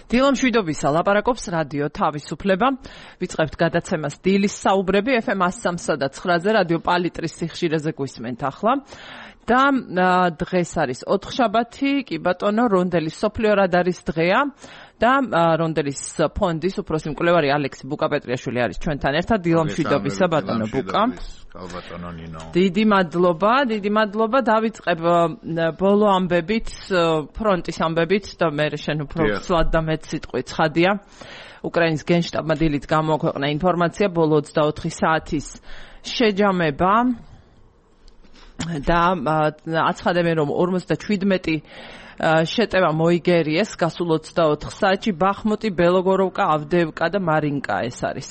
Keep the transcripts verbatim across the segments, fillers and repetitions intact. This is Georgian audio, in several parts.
დილა მშვიდობისა, ლაპარაკობს რადიო თავისუფლება. ვიწყებთ გადაცემას დილის საუბრები ეფ ემ one oh three და nine-ზე რადიო პალიტრის სიხშირეზე გვისმენთ ახლა. და დღეს არის ოთხშაბათი, კი ბატონო, რონდელის სოფლიო რადარის დღეა და რონდელის ფონდის უფროსი მკვლევარი ალექსი ბუკა-პეტრიაშვილი არის ჩვენთან ერთად. დილა მშვიდობისა, ბატონო ბუკა. დიდი მადლობა, დიდი მადლობა. დავიწყებ ბოლო ამბებით, ფრონტის ამბებით და მე შენ უფრო ცლად და მეც სიტყვით ცხადია. უკრაინის გენშტაბმა დილით გამოაქვეყნა ინფორმაცია ბოლო ოცდაოთხი საათის შეჯამება და აცხადებენ, რომ ორმოცდაჩვიდმეტი შეტევა მოიგერიეს გასულ ოცდაოთხ საათში ბახმუტი, ბელოგოროვკა, ავდეევკა და მარინკა ეს არის.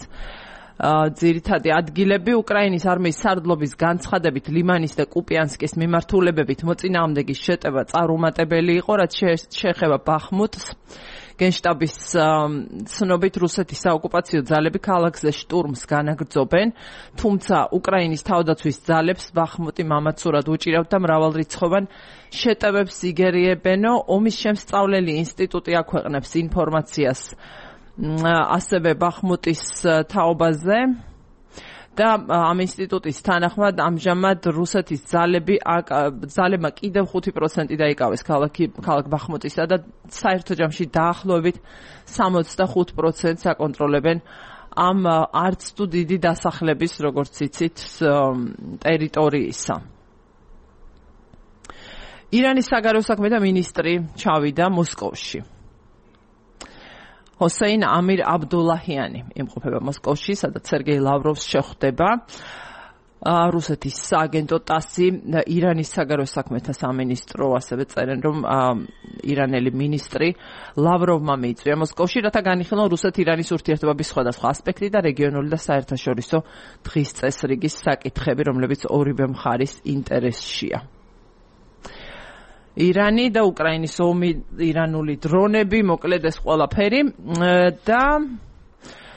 ძირითადი ადგილები უკრაინის არმიის სარდლობის განცხადებით ლიმანის და კუპიანსკის მიმართულებებით მოწინააღმდეგის შეტევა წარუმატებელი იყო, რაც შეეხება ბახმუტს. გენშტაბის ცნობით რუსეთის საოკუპაციო ძალები ქალაქზე შტურმს განაგრძობენ, თუმცა უკრაინის თავდაცვის ძალებს ბახმუტი მამაცურად უჭირავთ და მრავალრიცხოვან შეტევებს იგერიებენო. ომის შემსწავლელი ინსტიტუტი აქვეყნებს ინფორმაციას ასევე ბახმუტის თაობაზე და ამ ინსტიტუტის თანახმად ამჟამად რუსეთის ძალები ძალებმა კიდევ ხუთი პროცენტი დაიკავეს ქალაქ ბახმუტისა და საერთო ჯამში დაახლოებით სამოცდახუთ პროცენტს აკონტროლებენ ამ არც თუ დიდი დასახლების, როგორც იცით, ტერიტორიისა. ირანის საგარეო საქმეთა მინისტრი ჩავიდა მოსკოვში. ჰოსეინ ამირ აბდულაჰიანი იმყოფება მოსკოვში, სადაც სერგეი ლავროვს შეხვდება. რუსეთის სააგენტო ტასი, ირანის საგარეო საქმეთა სამინისტრო ასევე წერენ, რომ ირანელი მინისტრი ლავროვმა მიიწვია მოსკოვში, რათა განიხილონ რუსეთ-ირანის ურთიერთობების სხვადასხვა ასპექტი და რეგიონული და საერთაშორისო დღის წესრიგის საკითხები, რომლებიც ორივე მხარის ინტერესშია. ირანი და უკრაინის ომი, ირანული დრონები, მოკლედ ეს ყველაფერი და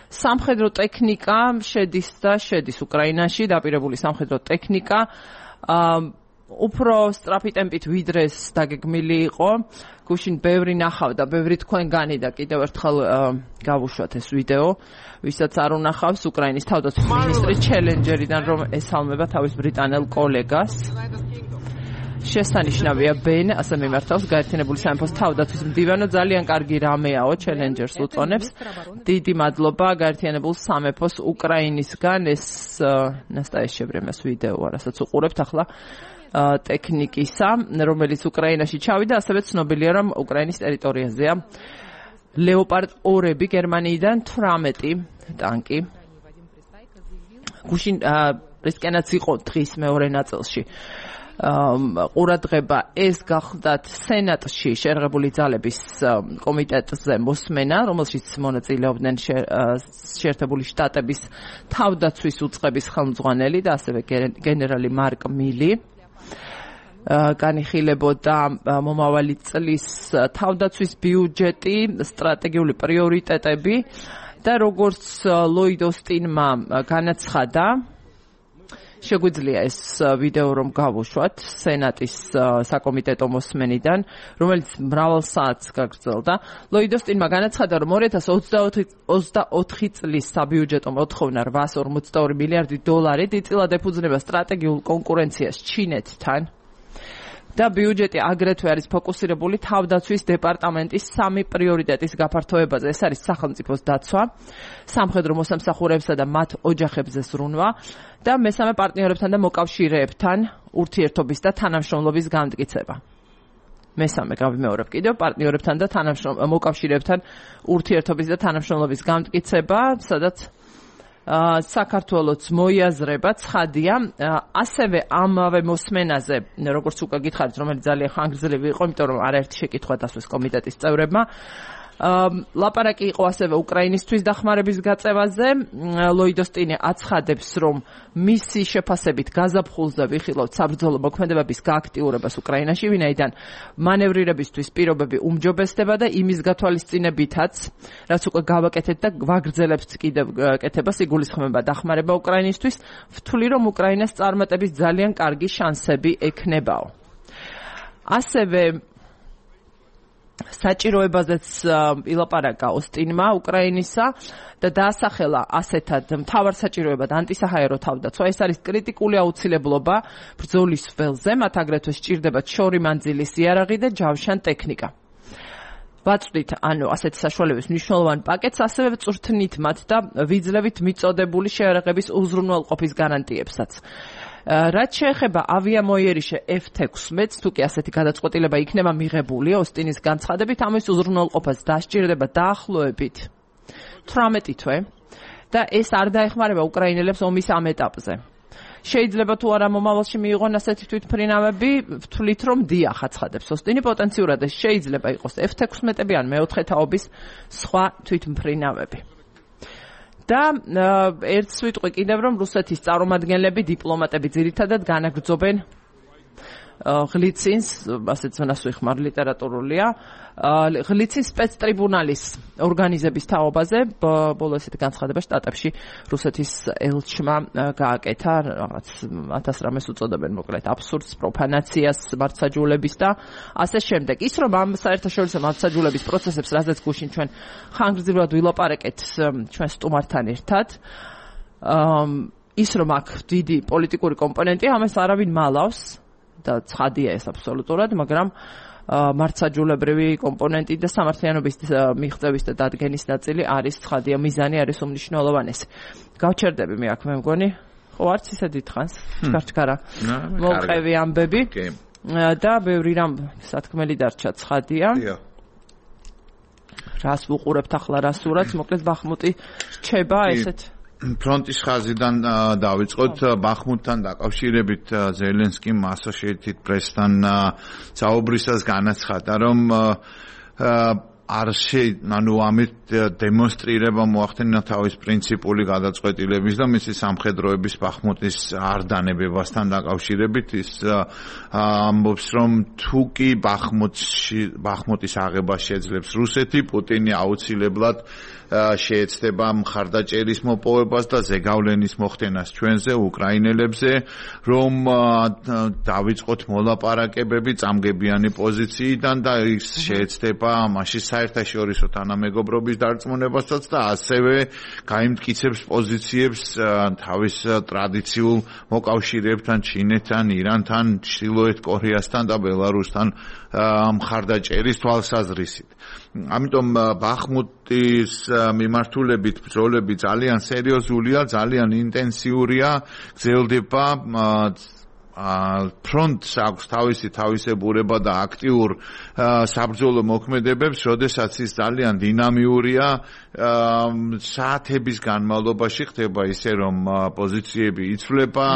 სამხედრო ტექნიკა შედის და შედის უკრაინაში, დაპირებული სამხედრო ტექნიკა უფრო სწრაფი ტემპით ვიდრე ეს დაგეგმილი იყო. გუშინ ბევრი ნახავდა, ბევრი თქვენგანი და კიდევ ერთხელ გავუშვათ ეს ვიდეო, ვისაც არ უნახავს, უკრაინის თავდაცვის მინისტრის ჩელენჯერიდან, რომ ესალმება თავის ბრიტანელ კოლეგას. შესანიშნავია ბენ, ასე მიმართავს გაერთიანებული სამეფოს თავდაცვის მდივანო, ძალიან კარგი რამეაო, ჩელენჯერს უწონებს. დიდი მადლობა გაერთიანებულ სამეფოს უკრაინისგან, ეს ნასტაეშებრემეს ვიდეო, რასაც უყურებთ ახლა ტექნიკისა, რომელიც უკრაინაში ჩავიდა, ასევე ცნობილია, რომ უკრაინის ტერიტორიაზეა ლეოპარდ ორები, გერმანიიდან თვრამეტი ტანკი. გუშინ რისკენაც იყო დღის მეორე ნაწილში. ყურადღება ეს გახლდათ სენატში შერღებული ძალების კომიტეტზე მოსმენა, რომელშიც მონაწილეობდნენ შეერთებული შტატების თავდაცვის უწყების ხელმძღვანელი და ასევე გენერალი მარკ მილი. განიხილებოდა მომავალი წლის თავდაცვის ბიუჯეტი, სტრატეგიული პრიორიტეტები და როგორც ლოიდ ოსტინმა განაცხადა, შეგვიძლია ეს ვიდეო რომ გავუშვათ სენატის საკომიტეტო მოსმენიდან, რომელიც მრავალ საათს გაგრძელდა. ლოიდ ოსტინმა განაცხადა, რომ ორი ათას ოცდაოთხი წლის საბიუჯეტო მოთხოვნა რვაას ორმოცდაორი მილიარდი დოლარი დიდწილად ეფუძნება სტრატეგიულ კონკურენციას ჩინეთთან. და ბიუჯეტი აგრეთვე არის ფოკუსირებული თავდაცვის დეპარტამენტის სამი პრიორიტეტის გაფართოებაზე. ეს არის სახელმწიფოს დაცვა, სამხედრო მოსამსახურეებსა და მათ ოჯახებზე ზრუნვა და მესამე პარტნიორებთან და მოკავშირეებთან ურთიერთობის და თანამშრომლობის განმტკიცება. მესამე გავიმეორებ კიდევ, პარტნიორებთან და მოკავშირეებთან ურთიერთობის და თანამშრომლობის განმტკიცება, სადაც საქართველოს მოიაზრება ცხადია, ასევე ამავე მოსმენაზე, როგორც უკვე გითხარით, რომელიც ძალიან ხანგრძლივი იყო, იმიტომ რომ არაერთი შეკითხვა დასვეს კომიტეტის წევრებმა. ლაპარაკი იყო ასევე უკრაინისთვის დახმარების გაწევაზე. ლოიდ ოსტინი აცხადებს, რომ მისი შეფასებით გაზაფხულზე ვიხილავთ საბრძოლო მოქმედებების გააქტიურებას უკრაინაში, ვინაიდან მანევრირებისთვის პირობები უმჯობესდება და იმის გათვალისწინებითაც, რაც უკვე გავაკეთეთ და ვაგრძელებთ კიდევ კეთებას, იგულისხმება დახმარება უკრაინისთვის, ვთვლი, რომ უკრაინას წარმატების ძალიან კარგი შანსები ექნებაო. ასევე საჭიროებაზეც ილაპარაკა ოსტინმა უკრაინისა და დაასახელა ასეთად მთავარ საჭიროებად ანტისაჰაერო თავდაცვა. ეს არის კრიტიკული აუცილებლობა ბრძოლის ველზე, მათ აგრეთვე სჭირდებათ შორი მანძილის იარაღი და ჯავშან ტექნიკა. ვაწვდით ანუ ასეთი საშუალების მნიშვნელოვან პაკეტს, ასევე წვრთნით მათ და ვიძლევით მიწოდებული შეერაღების უზრუნველყოფის გარანტიებსაც. რაც შეეხება ავიამოიერიშე ეფ თექვსმეტს, თუ კი ასეთი გადაწყვეტილება იქნება მიღებული ოსტინის განცხადებით, ამის უზრუნველყოფას დასჭირდება დაახლოებით თვრამეტი თვე და ეს არ დაეხმარება უკრაინელებს ომის ამ ეტაპზე. შეიძლება თუ არა მომავალში მიიღონ ასეთი თვითმფრინავები, ვთვლით რომ დიახ აცხადებს ოსტინი, პოტენციურად ეს შეიძლება იყოს ეფ თექვსმეტები ან მეოთხე თაობის სხვა თვითმფრინავები. და ერთ სიტყვი კიდევ რომ რუსეთის წარმომადგენლები, დიპლომატები ძირითადად განაგრძობენ ღლიცინს, ასეთ ზონას ვიხმარ ლიტერატურულია, ღლიცინს სპეცტრიბუნალის ორგანიზების თაობაზე, ბოლო ესეთი განცხადება შტატებში რუსეთის ელჩმა გააკეთა, რაღაც ათას რამეს უწოდებენ მოკლედ აბსურდს, პროფანაციას, მართლმსაჯულების და ასე შემდეგ. ის რომ ამ საერთაშორისო მართლმსაჯულების პროცესებს, რაზეც გუშინ ჩვენ ხანგრძლივად ვილაპარაკეთ ჩვენ სტუმართან ერთად, ის რომ აქ დიდი პოლიტიკური კომპონენტია, ამას არავინ მალავს და ცხადია ეს აბსოლუტურად, მაგრამ მართლმსაჯულებრივი კომპონენტი და სამართლიანობის მიღწევის და დადგენის ნაწილი არის ცხადია, მიზანი არის უმნიშვნელოვანესი. გავჩერდები მე აქ მე მგონი, ხო არც ისე დიდხანს, ჩქარჩქარა მოვყევი ამბები და ბევრი რამ სათქმელი დარჩა ცხადია. რას ვუყურებთ ახლა რა სურათს, მოკლედ ბახმუტი რჩება ესეთ ფრონტის ხაზიდან დავიწყოთ ბახმუტთან დაკავშირებით ზელენსკიმ Associated Press-თან საუბრისას განაცხადა, რომ არ შეიძლება, ანუ ამით დემონსტრირება მოახდინა თავის პრინციპული გადაწყვეტილების და მისი სამხედროების ბახმუტის არ დანებებასთან დაკავშირებით. ის ამბობს, რომ თუ კი ბახმუტში ბახმუტის აღება შეძლებს რუსეთი, პუტინი აუცილებლად შეეცდება მხარდაჭერის მოპოვებას და ზეგავლენის მოხდენას ჩვენზე, უკრაინელებზე, რომ დავიწყოთ მოლაპარაკებები წამგებიანი პოზიციიდან და ის შეეცდება მაშინ საერთაშორისო თანამეგობრობის დარწმუნებასაც და ასევე გაიმტკიცებს პოზიციებს თავის ტრადიციულ მოკავშირეებთან, ჩინეთთან, ირანთან, ჩრდილოეთ კორეასთან და ბელარუსთან მხარდაჭერის თვალსაზრისით. ამიტომ ბახმუტის მიმართულებით ბრძოლები ძალიან სერიოზულია, ძალიან ინტენსიურია, გრძელდება ფრონტს აქვს თავისი თავისებურება და აქტიურ საბრძოლო მოქმედებებს, როდესაც ის ძალიან დინამიურია, საათების განმავლობაში ხდება ისე, რომ პოზიციები იცვლება,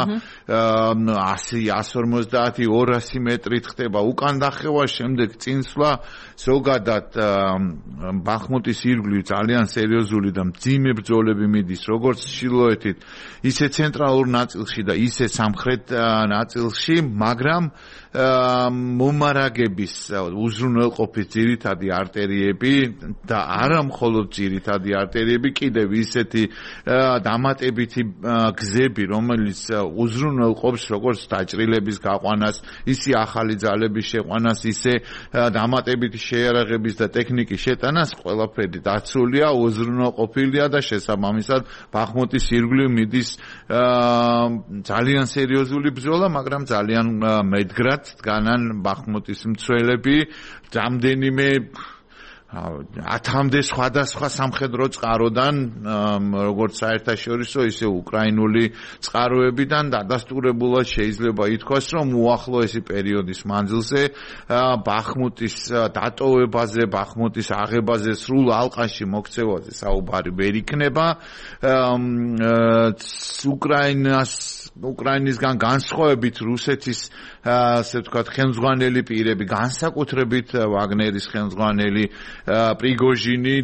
ასი, εκατს ორმოცდაათი, ორასი მეტრით ხდება უკან დახევა, შემდეგ წინსვლა, ზოგადად ბახმუტის ირგვლივ ძალიან სერიოზული და მძიმე ბრძოლები მიდის, როგორც ჩრდილოეთით, ისე ცენტრალურ ნაწილში და ისე სამხრეთ ნაწილში, მაგრამ მომარაგების უზრუნველყოფის ძირითადი არტერიები და არა მხოლოდ ძირითადი არტერიები, კიდევ ისეთი დამატებითი გზები, რომელიც უზრუნველყოფს როგორც დაჭრილების გაყვანას, ისე ახალი ძალების შეყვანას, ისე დამატებითი შეიარაღების და ტექნიკის შეტანას, ყველაფერი დაცულია, უზრუნველყოფილია და შესაბამისად ბახმუტის ირგვლივ მიდის ძალიან სერიოზული ბრძოლა, მაგრამ ძალიან მედგრად დგანან ბახმუტის მცველები, რამდენიმე ათამდე სხვადასხვა სამხედრო წყაროდან, როგორც საერთაშორისო, ისე უკრაინული წყაროებიდან დადასტურებულად შეიძლება ითქვას, რომ უახლოესი პერიოდის მანძილზე ბახმუტის დატოვებაზე, ბახმუტის აღებაზე, სრულ ალყაში მოქცევაზე საუბარი ვერ იქნება. უკრაინას უკრაინისგან განსხვავებით რუსეთის ასე ვთქვათ ხელმძღვანელი პირები, განსაკუთრებით ვაგნერის ხელმძღვანელი პრიგოჟინი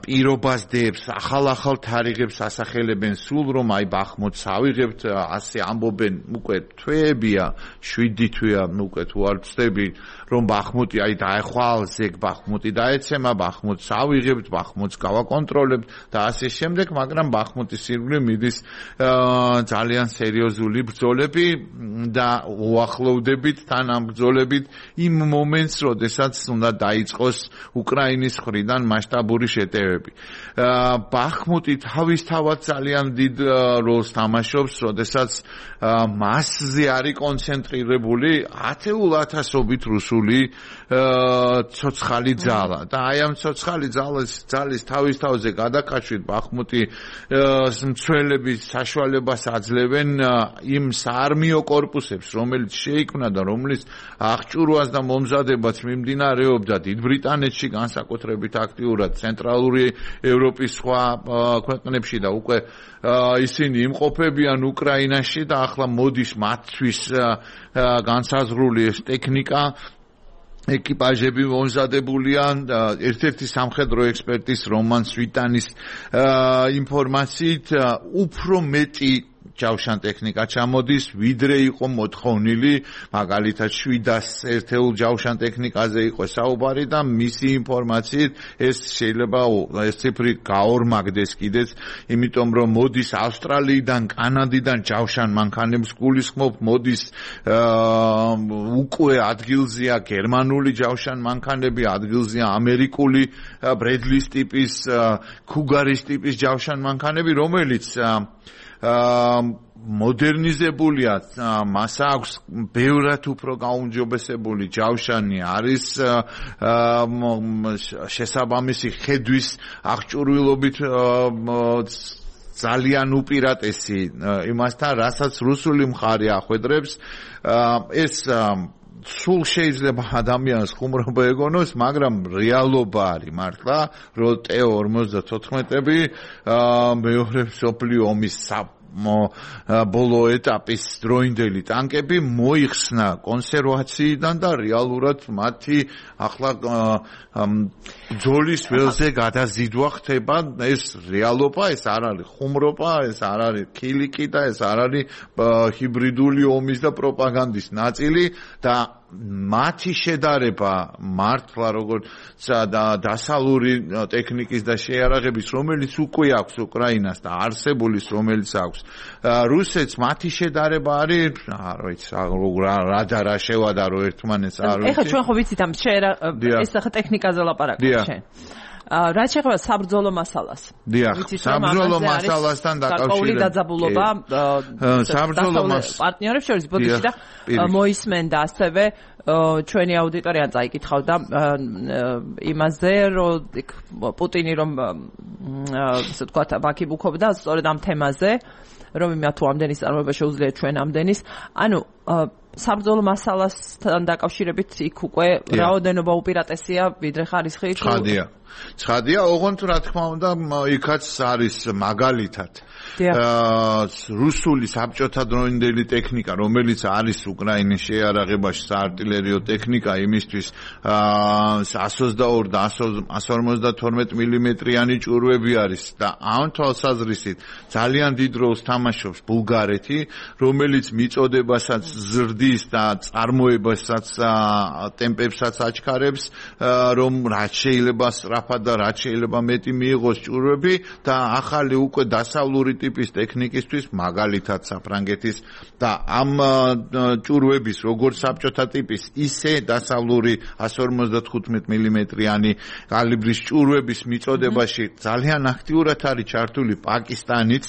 პირობას დებს, ახალ-ახალ თარიღებს ასახელებენ სულ რომ აი ბახმუტს ავიღებთ, ასე ამბობენ უკვე თვეებია, შვიდი თვეა უკვე თუ არ ვცდები რომ ბახმუტი აი დაეხვალ, ზეგ ბახმუტი დაეცემა, ბახმუტს ავიღებთ, ბახმუტს გავაკონტროლებთ და ასე შემდეგ, მაგრამ ბახმუტის ირგვლივ მიდის ძალიან სერიოზული ბრძოლები და უახლოვდებით თან ამ ბრძოლებით იმ მომენტს, როდესაც უნდა დაიწყოს უკრაინის მხრიდან მასშტაბური შეტევები. ბახმუტი თავისთავად ძალიან დიდ როლს თამაშობს, როდესაც მასზე არის კონცენტრირებული ათეულ ათასობით რუსული ცოცხალი ძალა და აი ამ ცოცხალი ძალის ძალის თავისთავზე გადაკაშვით ბახმუტი მცველების საშუალებას აძლევენ იმ საარმიო კორპუსებს, რომელიც შეიქმნა და რომლის აღჭურვას და მომზადებაც მიმდინარეობდა დიდ ბრიტანეთში განსაკუთრებით აქტიურად, ცენტრალური ევროპის სხვა ქვეყნებში და უკვე ისინი იმყოფებიან უკრაინაში და ახლა მოდის მათთვის განსაზღვრული ეს ტექნიკა ეკიპაჟები მომზადებულია ერთ-ერთი სამხედრო ექსპერტის რომან სვიტანის ინფორმაციით უფრო მეტი ჯავშან ტექნიკა ჩამოდის, ვიდრე იყო მოთხოვნილი, მაგალითად შვიდას ერთეულ ჯავშან ტექნიკაზე იყო საუბარი და მისი ინფორმაციით ეს შეიძლება ეს ციფრი გაორმაგდეს კიდეც, იმიტომ რომ მოდის ავსტრალიიდან, კანადიდან ჯავშან მანქანებს გულისხმობ, მოდის უკვე ადგილზეა გერმანული ჯავშან მანქანები, ადგილზეა ამერიკული ბრედლის ტიპის, ქუგარის ტიპის ჯავშან მანქანები, რომელიც მოდერნიზებულია, მას აქვს ბევრად უფრო გაუმჯობესებული ჯავშანი, არის შესაბამისი ხედვის აღჭურვილობით ძალიან უპირატესი იმასთან, რასაც რუსული მხარე ახვედრებს. ეს სულ შეიძლება ადამიანს ხუმრობა ეგონოს, მაგრამ რეალობა არის მართლა, რომ ტე ორმოცდათოთხმეტები მეორე მსოფლიო ომის ბოლო ეტაპის დროინდელი ტანკები მოიხსნა კონსერვაციიდან და რეალურად მათი ახლა ბრძოლის ველზე გადაზიდვა ხდება. ეს რეალობა, ეს არ არის ხუმრობა, ეს არ არის ქილიკი და ეს არ არის ჰიბრიდული ომის და პროპაგანდის ნაწილი და მათი შედარება მართლა როგორც დასავლური ტექნიკის და შეიარაღების, რომელიც უკვე აქვს უკრაინას და არსებულის, რომელიც აქვს რუსეთს, მათი შედარება არის, არ ვიცი, რა და რა შევადარო ერთმანეთს, არ ვიცი. ეხლა ჩვენ ხო ვიცით ამ ეს ახლა ტექნიკაზე ლაპარაკობთ შენ. რაც შეეხება საბრძოლო მასალას. დიახ, საბრძოლო მასალასთან დაკავშირებით დაძაბულობა საბრძოლო პარტნიორებს შორის ბოდიში და მოისმენდა ასევე ჩვენი აუდიტორია წაიკითხავდა იმაზე, რომ პუტინი რომ ასე ვთქვათ ბაქიბუქობდა სწორედ ამ თემაზე, რომ იმათ თუ ამდენის წარმოება შეუძლია ჩვენ ამდენის, ანუ საბრძოლო მასალასთან დაკავშირებით იქ უკვე რაოდენობა უპირატესია ვიდრე ხარისხი. ცხადია. ცხადია, ოღონდ რა თქმა უნდა, იქაც არის მაგალითად რუსული საბჭოთა დროინდელი ტექნიკა, რომელიც არის უკრაინის შეიარაღებაში საარტილერიო ტექნიკა, იმისთვის εκατს ოცდაორი და εκατს ორმოცდათორმეტი მილიმეტრიანი ჭურვები არის და ამ თვალსაზრისით ძალიან დიდ როლს თამაშობს ბულგარეთი, რომელიც მიწოდებასაც ზრდის და წარმოებასაც ტემპებსაც აჩქარებს, რომ რაც შეიძლება სწრაფად და რაც შეიძლება მეტი მიიღოს ჭურვები და ახალი უკვე დასავლური ტიპის ტექნიკისთვის, მაგალითად საფრანგეთის და ამ ჭურვების როგორც საბჭოთა ტიპის, ისე დასავლური εκατს ორმოცდათხუთმეტი მილიმეტრიანი კალიბრის ჭურვების მიწოდებაში ძალიან აქტიურად არის ჩართული პაკისტანიც,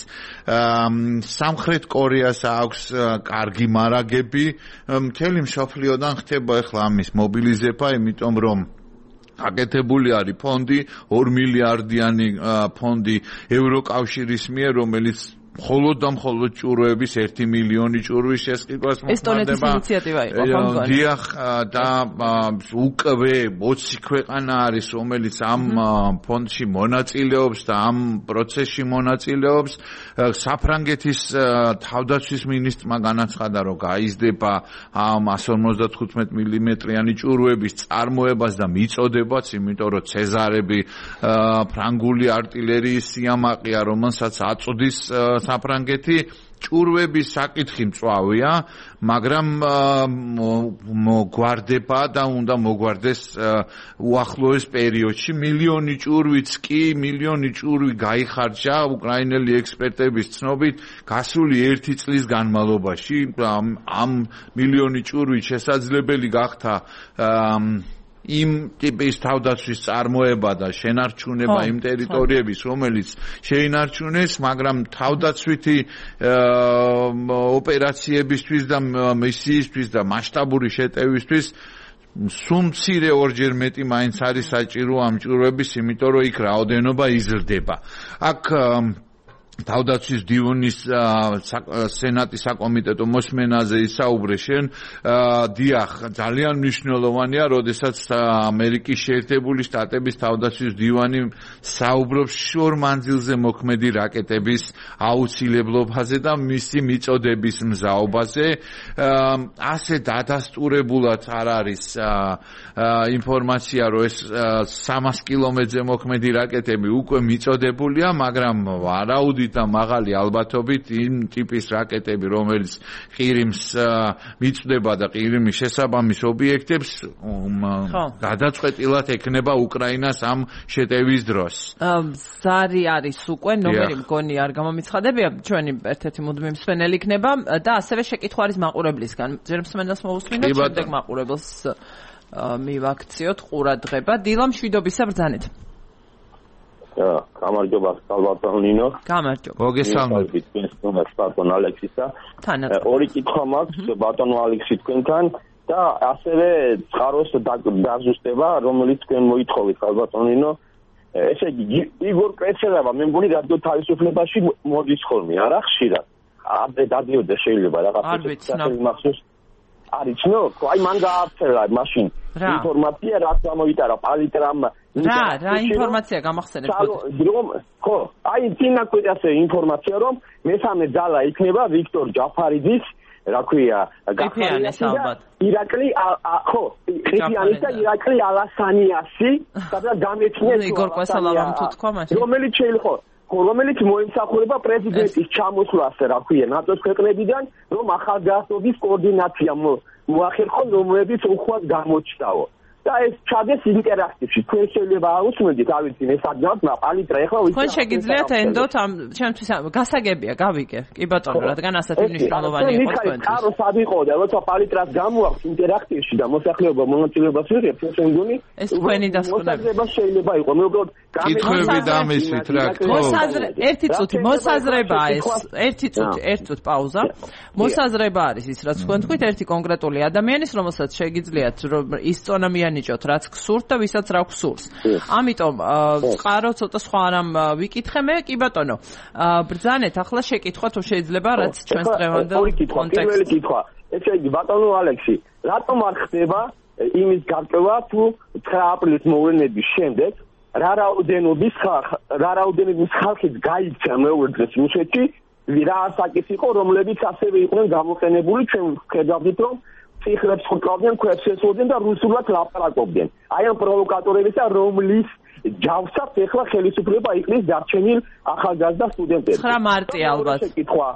სამხრეთ კორეას აქვს კარგი მარაგები, მთელი მსოფლიოდან ხდება ახლა ამის მობილიზება, იმიტომ რომ აკეთებული არის ფონდი, ორი მილიარდიანი ფონდი ევროკავშირის მიერ, რომელიც მხოლოდ და მხოლოდ ჭურვების ერთი მილიონი ჭურვის შესყიდვას მოხდება. ესტონეთის ინიციატივა იყო, ხო? დიახ, და უკვე ოცი ქვეყანა არის, რომელიც ამ ფონდში მონაწილეობს და ამ პროცესში მონაწილეობს. საფრანგეთის თავდაცვის მინისტრმა განაცხადა, რომ გაიზრდება ამ εκατს ორმოცდათხუთმეტ მილიმეტრიანი ჭურვების წარმოებას და მიწოდებაც, იმიტომ რომ ცეზარები ფრანგული არტილერიის სიამაყეა, რომელსაც აწოდის საფრანგეთი. ჭურვების საკითხი მწვავეა, მაგრამ მოგვარდება და უნდა მოგვარდეს უახლოეს პერიოდში. მილიონი ჭურვიც კი, მილიონი ჭურვი გაიხარჯა უკრაინელი ექსპერტების ცნობით გასული ერთი წლის განმავლობაში. ამ მილიონი ჭურვი შესაძლებელი გახდა იმ ტიპის თავდაცვის წარმოება და შენარჩუნება იმ ტერიტორიების, რომელიც შეინარჩუნეს, მაგრამ თავდაცვითი ოპერაციებისთვის და მისიისთვის და მასშტაბური შეტევისთვის სულ მცირე ორჯერ მეტი მაინც არის საჭირო ამ ჭურვების, იმიტომ რომ იქ რაოდენობა იზრდება. აქ თავდაცვის დივნის სენატის საკომიტეტო მოსმენაზე ისაუბრე შენ. დიახ, ძალიან მნიშვნელოვანია, როდესაც ამერიკის შეერთებული შტატების თავდაცვის დივანი საუბრობს შორ მანძილზე მოქმედი რაკეტების აუცილებლობაზე და მისი მიწოდების მზაობაზე. ასე დადასტურებულად არ არის ინფორმაცია, რომ ეს სამას კილომეტრზე მოქმედი რაკეტები უკვე მიწოდებულია, მაგრამ ვარაუდით და მაღალი ალბათობით იმ ტიპის რაკეტები, რომელიც ყირიმს მიწვდება და ყირიმის შესაბამის ობიექტებს გადაწყვეტილად ექნება უკრაინას ამ შეტევის დროს. ზარი არის უკვე, ნომერი მგონი არ გამომიცხადებია, ჩვენი ერთ-ერთი მუდმივი მსმენელი იქნება და ასევე შეკითხვა არის მაყურებლისგან. ჯერ მსმენელს მოусმინოთ, შემდეგ მაყურებელს მივაქციოთ ყურადღება. დილა მშვიდობისა, ბრძანეთ. გამარჯობა, ბატონ ნინო. გამარჯობა. მოგესალმებით. ბატონ ალექსისა. ორი კითხვა მაქვს ბატონ ალექსი თქვენთან და ასევე წყაროს დაზუსტება, რომელიც თქვენ მოითხოვით, ბატონ ნინო. ესე იგი, იგორ კრეცელავა, მე მგონი რადიო თავისუფლებაში მოდის ხოლმე, არა ხშირად. ამდე დადიოდა შეიძლება რაღაცა მახსოვს. არის ნო, აი მან გააფერა მაშინ ინფორმაცია რაც გამოვიტარა პალიტრამ რა რა ინფორმაცია გამახსენებ რომ ხო აი წინაკვეთაზე ინფორმაცია რომ მესამე ძალა იქნება ვიქტორ ჯაფარიძის რა ქვია გაფიანეს ალბათ ირაკლი ხო ყიფიანის და ირაკლი ალასანიასი სადაც გამეცნეს იგორ კვესალავამ თუ თქვა მაშინ რომელიც შეიძლება რომელიც მოიმსახურება პრეზიდენტის ჩამოსვლას, რა ქვია, ნატოს ქვეყნებიდან, რომ ახალგაზრდობის კოორდინაცია მოახერხონ, რომლებიც უხვად გამოჩნდაო. და ეს ჩადეს ინტერაქტივში. თქვენ შეიძლება აუსმენდით, ავიცი, მე საგნავთ, პალიტრა ეხლა ვიცი. თქვენ შეგიძლიათ ენდოთ ამ ჩემთვის გასაგებია, გავიგე. კი ბატონო, რადგან ასეთი მნიშვნელოვანი იყო თქვენთვის. კარო სად იყო და როცა პალიტრას გამოაქვს ინტერაქტივში და მოსახლეობა მონაწილეობას იღებს, ეს მგონი ეს თქვენი დასკვნები შეიძლება იყო. მე უბრალოდ კითხვები დამისვით რა თქმა უნდა. ერთი წუთი მოსაზრებაა ეს. ერთი წუთი, ერთი წუთი პაუზა. მოსაზრება არის ის, რაც თქვენ თქვით, ერთი კონკრეტული ადამიანის, რომელსაც შეგიძლიათ ისწონამიანი ნიჭოთ რაც გსურთ და ვისაც რა გსურს. ამიტომ წყარო ცოტა სხვა რამ ვიკითხე მე, კი ბატონო. ბრძანეთ ახლა შეკითხვა თუ შეიძლება რაც ჩვენს დღევანდელ კონტექსტში. პირველი კითხვა. ესე იგი ბატონო ალექსი, რატომ არ ხდება იმის გარკვევა თუ ცხრა აპრილის მოვლენების შემდეგ რა რაოდენობის რა რაოდენობის ხალხი გაიქცა მეორე დღეს რუსეთში, რა საკითხი იყო, რომლებიც ასევე იყვნენ გამოყენებული, ჩვენ ვხედავთ რომ ციხრებს ხუტავდნენ, ქვებს ესვოდნენ და რუსულად ლაპარაკობდნენ. აი ამ პროვოკატორებისა, რომლის ჯავსად ეხლა ხელისუფლება იყრის დარჩენილ ახალგაზრდა სტუდენტებს. ცხრა მარტი ალბათ. შეკითხვა,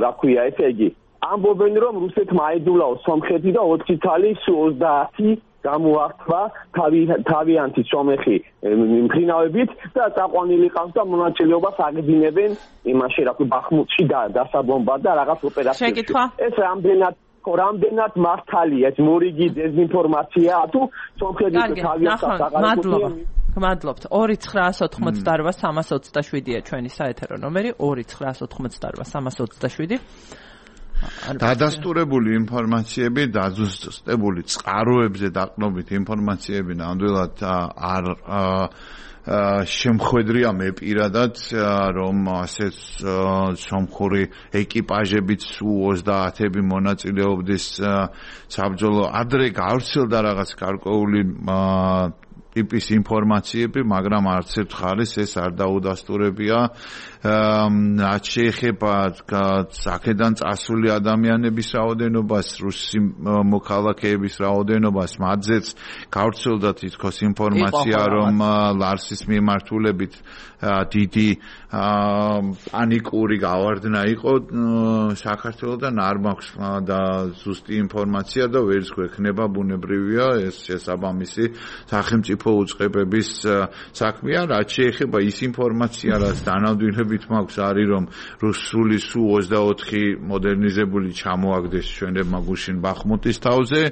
რა ქვია, ესე იგი, ამბობენ რომ რუსეთმა აედულაო სომხეთი და ოთხი თალი ოცდაათი გამოართვა თავიანთი სომეხი მფრინავებით და წაყვანილი ყავს და მონაწილეობას აგრძინებენ იმაში, რა ქვია, ბახმუტში და დასაბომბად და რაღაც ოპერაციებში. შეკითხვა. ეს რამდენად რამდენად მართალია ეს მორიგი დეზინფორმაცია თუ სომხეთის თავიანთი მადლობა მადლობთ ორი ცხრაას ოთხმოცდაოთხ სამას ოცდაშვიდია ჩვენი საეთერო ნომერი ორი ცხრაას ოთხმოცდაოთხ სამას ოცდაშვიდი დადასტურებული ინფორმაციები დაზუსტებული წყაროებზე დაყრდნობით ინფორმაციები ნამდვილად არ შემხვედრია მე პირადად რომ ასე სომხური ეკიპაჟებიც ოცდაათები მონაწილეობდეს საბრძოლო ადრე გავრცელდა რაღაც გარკვეული ტიპის ინფორმაციები, მაგრამ არც ერთ ხალხს ეს არ დაუდასტურებია. რაც შეეხება აქედან წასული ადამიანების რაოდენობას, რუსი მოქალაქეების რაოდენობას, მათზეც გავრცელდა თითქოს ინფორმაცია, რომ ლარსის მიმართულებით დიდი პანიკური გავარდნა იყო საქართველოსთან, არ მაქვს და ზუსტი ინფორმაცია და ვერც გვექნება, ბუნებრივია ეს შესაბამისი სახელმწიფო უწყებების საქმეა. რაც შეეხება ის ინფორმაცია, რაც დანამდვილებით მაქვს, არის რომ რუსული სუ ოცდაოთხი მოდერნიზებული ჩამოაგდეს ჩვენებმა გუშინ ბახმუტის თავზე.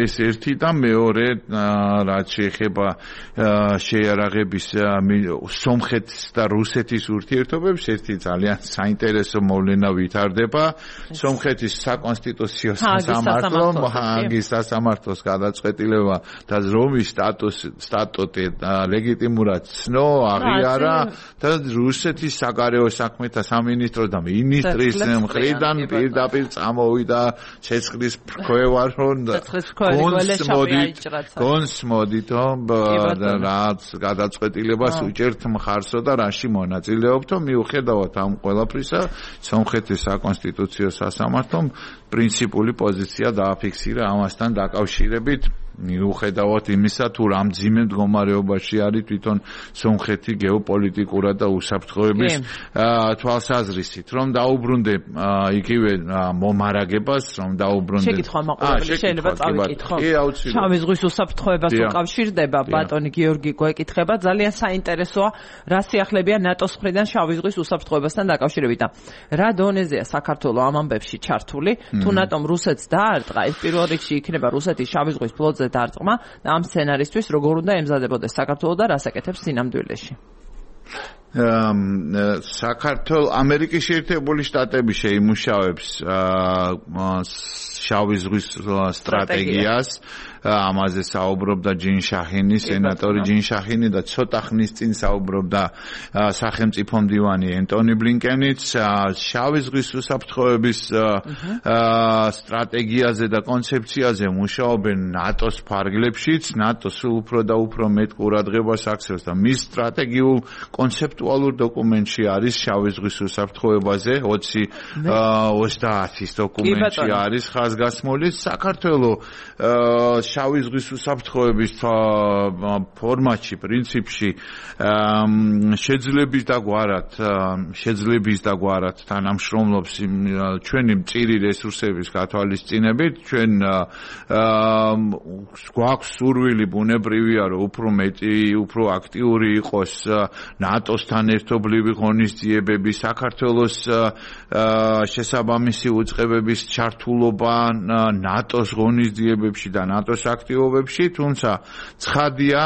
ეს ერთი და მეორე, რაც შეეხება შეიარაღების სომხეთის და რუსეთის ურთიერთობებს, ერთი ძალიან საინტერესო მოვლენა ვითარდება. სომხეთის საკონსტიტუციო სასამართლომ ჰააგის სასამართლოს გადაწყვეტილება და რომის სტატუტი ლეგიტიმურად ცნო, აღიარა და რუსეთის საგარეო საქმეთა სამინისტრო და მინისტრის მხრიდან პირდაპირ წამოვიდა ცეცხლის ფრქვევა, რომ გონს მოდითო რაც გადაწყვეტილებას უჭერთ მხარსო და რაში მონაწილეობთო. მიუხედავად ამ ყველაფრისა, სომხეთის საკონსტიტუციო სასამართლომ პრინციპული პოზიცია დააფიქსირა ამასთან დაკავშირებით. მიუხედავად იმისა, თუ რა მძიმე მდგომარეობაში არის თვითონ სომხეთი გეოპოლიტიკურად და უსაფრთხოების თვალსაზრისით, რომ დაუბრუნდე იგივე მომარაგებას, რომ დაუბრუნდე. შეკითხვა მაყურებელი, შეიძლება წავიკითხო. შავი ზღვის უსაფრთხოებას უკავშირდება, ბატონი გიორგი გვეკითხება, ძალიან საინტერესოა, რა სიახლებია ნატოს მხრიდან შავი ზღვის უსაფრთხოებასთან დაკავშირებით. რა დონეზეა საქართველოს ამ ამბებში ჩართული? თუ ნატომ რუსეთს დაარტყა, ეს პირველ რიგში იქნება რუსეთის შავი ზღვის ფლოტზე დარტყმა და ამ სცენარისთვის როგორ უნდა ემზადებოდეს საქართველოს და რას აკეთებს სინამდვილეში? საქართველოს ამერიკის შეერთებული შტატები შეიმუშავებს შავი ზღვის სტრატეგიას. ამაზე საუბრობდა ჯინ შაჰინი, სენატორი ჯინ შაჰინი და ცოტა ხნის წინ საუბრობდა სახელმწიფო მდივანი ენტონი ბლინკენიც. შავი ზღვის უსაფრთხოების სტრატეგიაზე და კონცეფციაზე მუშაობენ ნატოს ფარგლებშიც. ნატო სულ უფრო და უფრო მეტ ყურადღებას აქცევს და მის სტრატეგიულ კონცეპტუალურ დოკუმენტში არის შავი ზღვის უსაფრთხოებაზე ოცი ოცდაათის დოკუმენტში არის ხაზგასმული. საქართველოს შავი ზღვის უსაფრთხოების ფორმატში, პრინციპში შეძლების და გვარად, შეძლების და გვარად თანამშრომლობს ჩვენი მწირი რესურსების გათვალისწინებით. ჩვენ გვაქვს სურვილი, ბუნებრივია, რომ უფრო მეტი, უფრო აქტიური იყოს ნატოსთან ერთობლივი ღონისძიებები, საქართველოს შესაბამისი უწყებების ჩართულობა ნატოს ღონისძიებებში და ნატოს აქტივობებში, თუმცა ცხადია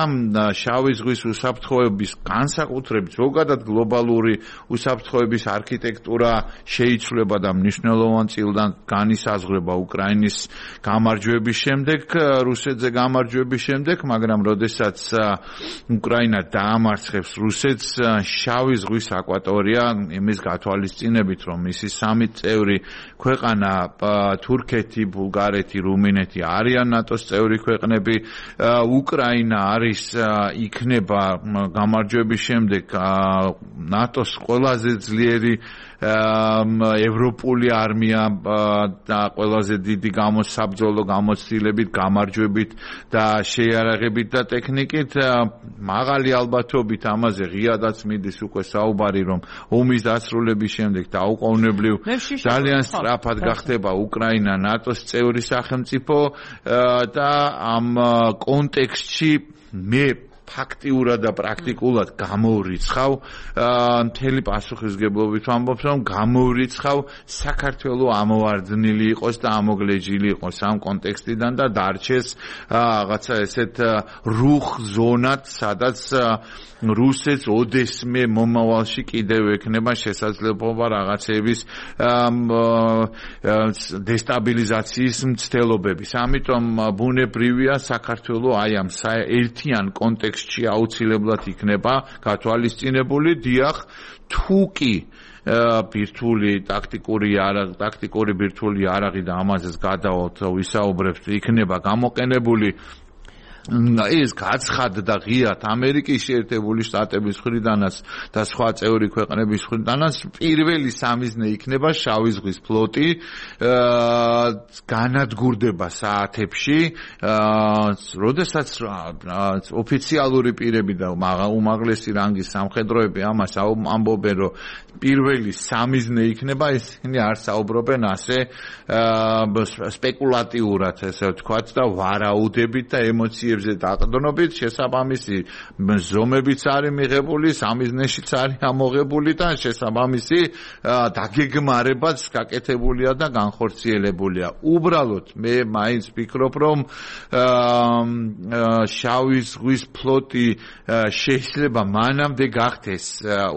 შავი ზღვის უსაფრთხოების განსაკუთრებით ზოგადად გლობალური უსაფრთხოების არქიტექტურა შეიცვლება და მნიშვნელოვან წილად განისაზღვრება უკრაინის გამარჯვების შემდეგ, რუსეთზე გამარჯვების შემდეგ, მაგრამ როდესაც უკრაინა დაამარცხებს რუსეთს, შავი ზღვის აკვატორია იმის გათვალისწინებით, რომ მისი სამი წევრი ქვეყანა თურქეთი, ბულგარეთი, რუმინეთი არიან ნატოს წევრი ქვეყნები. უკრაინა არის იქნება გამარჯვების შემდეგ ნატოს ყველაზე ძლიერი ევროპული არმია და ყველაზე დიდი გამოსაბრძოლო გამოცდილებით, გამარჯვებით და შეიარაღებით და ტექნიკით. მაღალი ალბათობით ამაზე ღიადაც მიდის უკვე საუბარი, რომ ომის დასრულების შემდეგ დაუყოვნებლივ ძალიან სწრაფად გახდება უკრაინა ნატოს წევრი სახელმწიფო და ამ კონტექსტში მე ფაქტიურად და პრაქტიკულად გამოვრიცხავ მთელი პასუხისგებლობით ვამბობ, რომ გამოვრიცხავ საქართველოს ამოვარდნილი იყოს და ამოგლეჯილი იყოს ამ კონტექსტიდან და დარჩეს რაღაცა ესეთ რუხ ზონად, სადაც რუსეთს ოდესმე მომავალში კიდევ ექნება შესაძლებლობა რაღაცების დესტაბილიზაციის მცდელობების. ამიტომ ბუნებრივია საქართველოს აი ამ ერთიან კონტექსტში ტექსტში აუცილებლად იქნება გათვალისწინებული, დიახ, თუ კი ბირთვული ტაქტიკური იარაღი, ტაქტიკური ბირთვული იარაღი და ამაზეც გადავალთ ვისაუბრებთ, იქნება გამოყენებული ის გაცხადდა ღიად ამერიკის შეერთებული შტატების მხრიდანაც და სხვა წევრი ქვეყნების მხრიდანაც პირველი სამიზნე იქნება შავი ზღვის ფლოტი განადგურდება საათებში როდესაც ოფიციალური პირები და უმაღლესი რანგის სამხედროები ამას ამბობენ რომ პირველი სამიზნე იქნება ისინი არ საუბრობენ ასე სპეკულატიურად ესე ვთქვათ და ვარაუდებით და ემოციებზე დაყრდნობით შესაბამისი ზომებიც არის მიღებული სამიზნეშიც არის ამოღებული და შესაბამისი დაგეგმარებაც გაკეთებულია და განხორციელებულია უბრალოდ მე მაინც ვფიქრობ რომ შავი ზღვის ფლოტი შეიძლება მანამდე გახდეს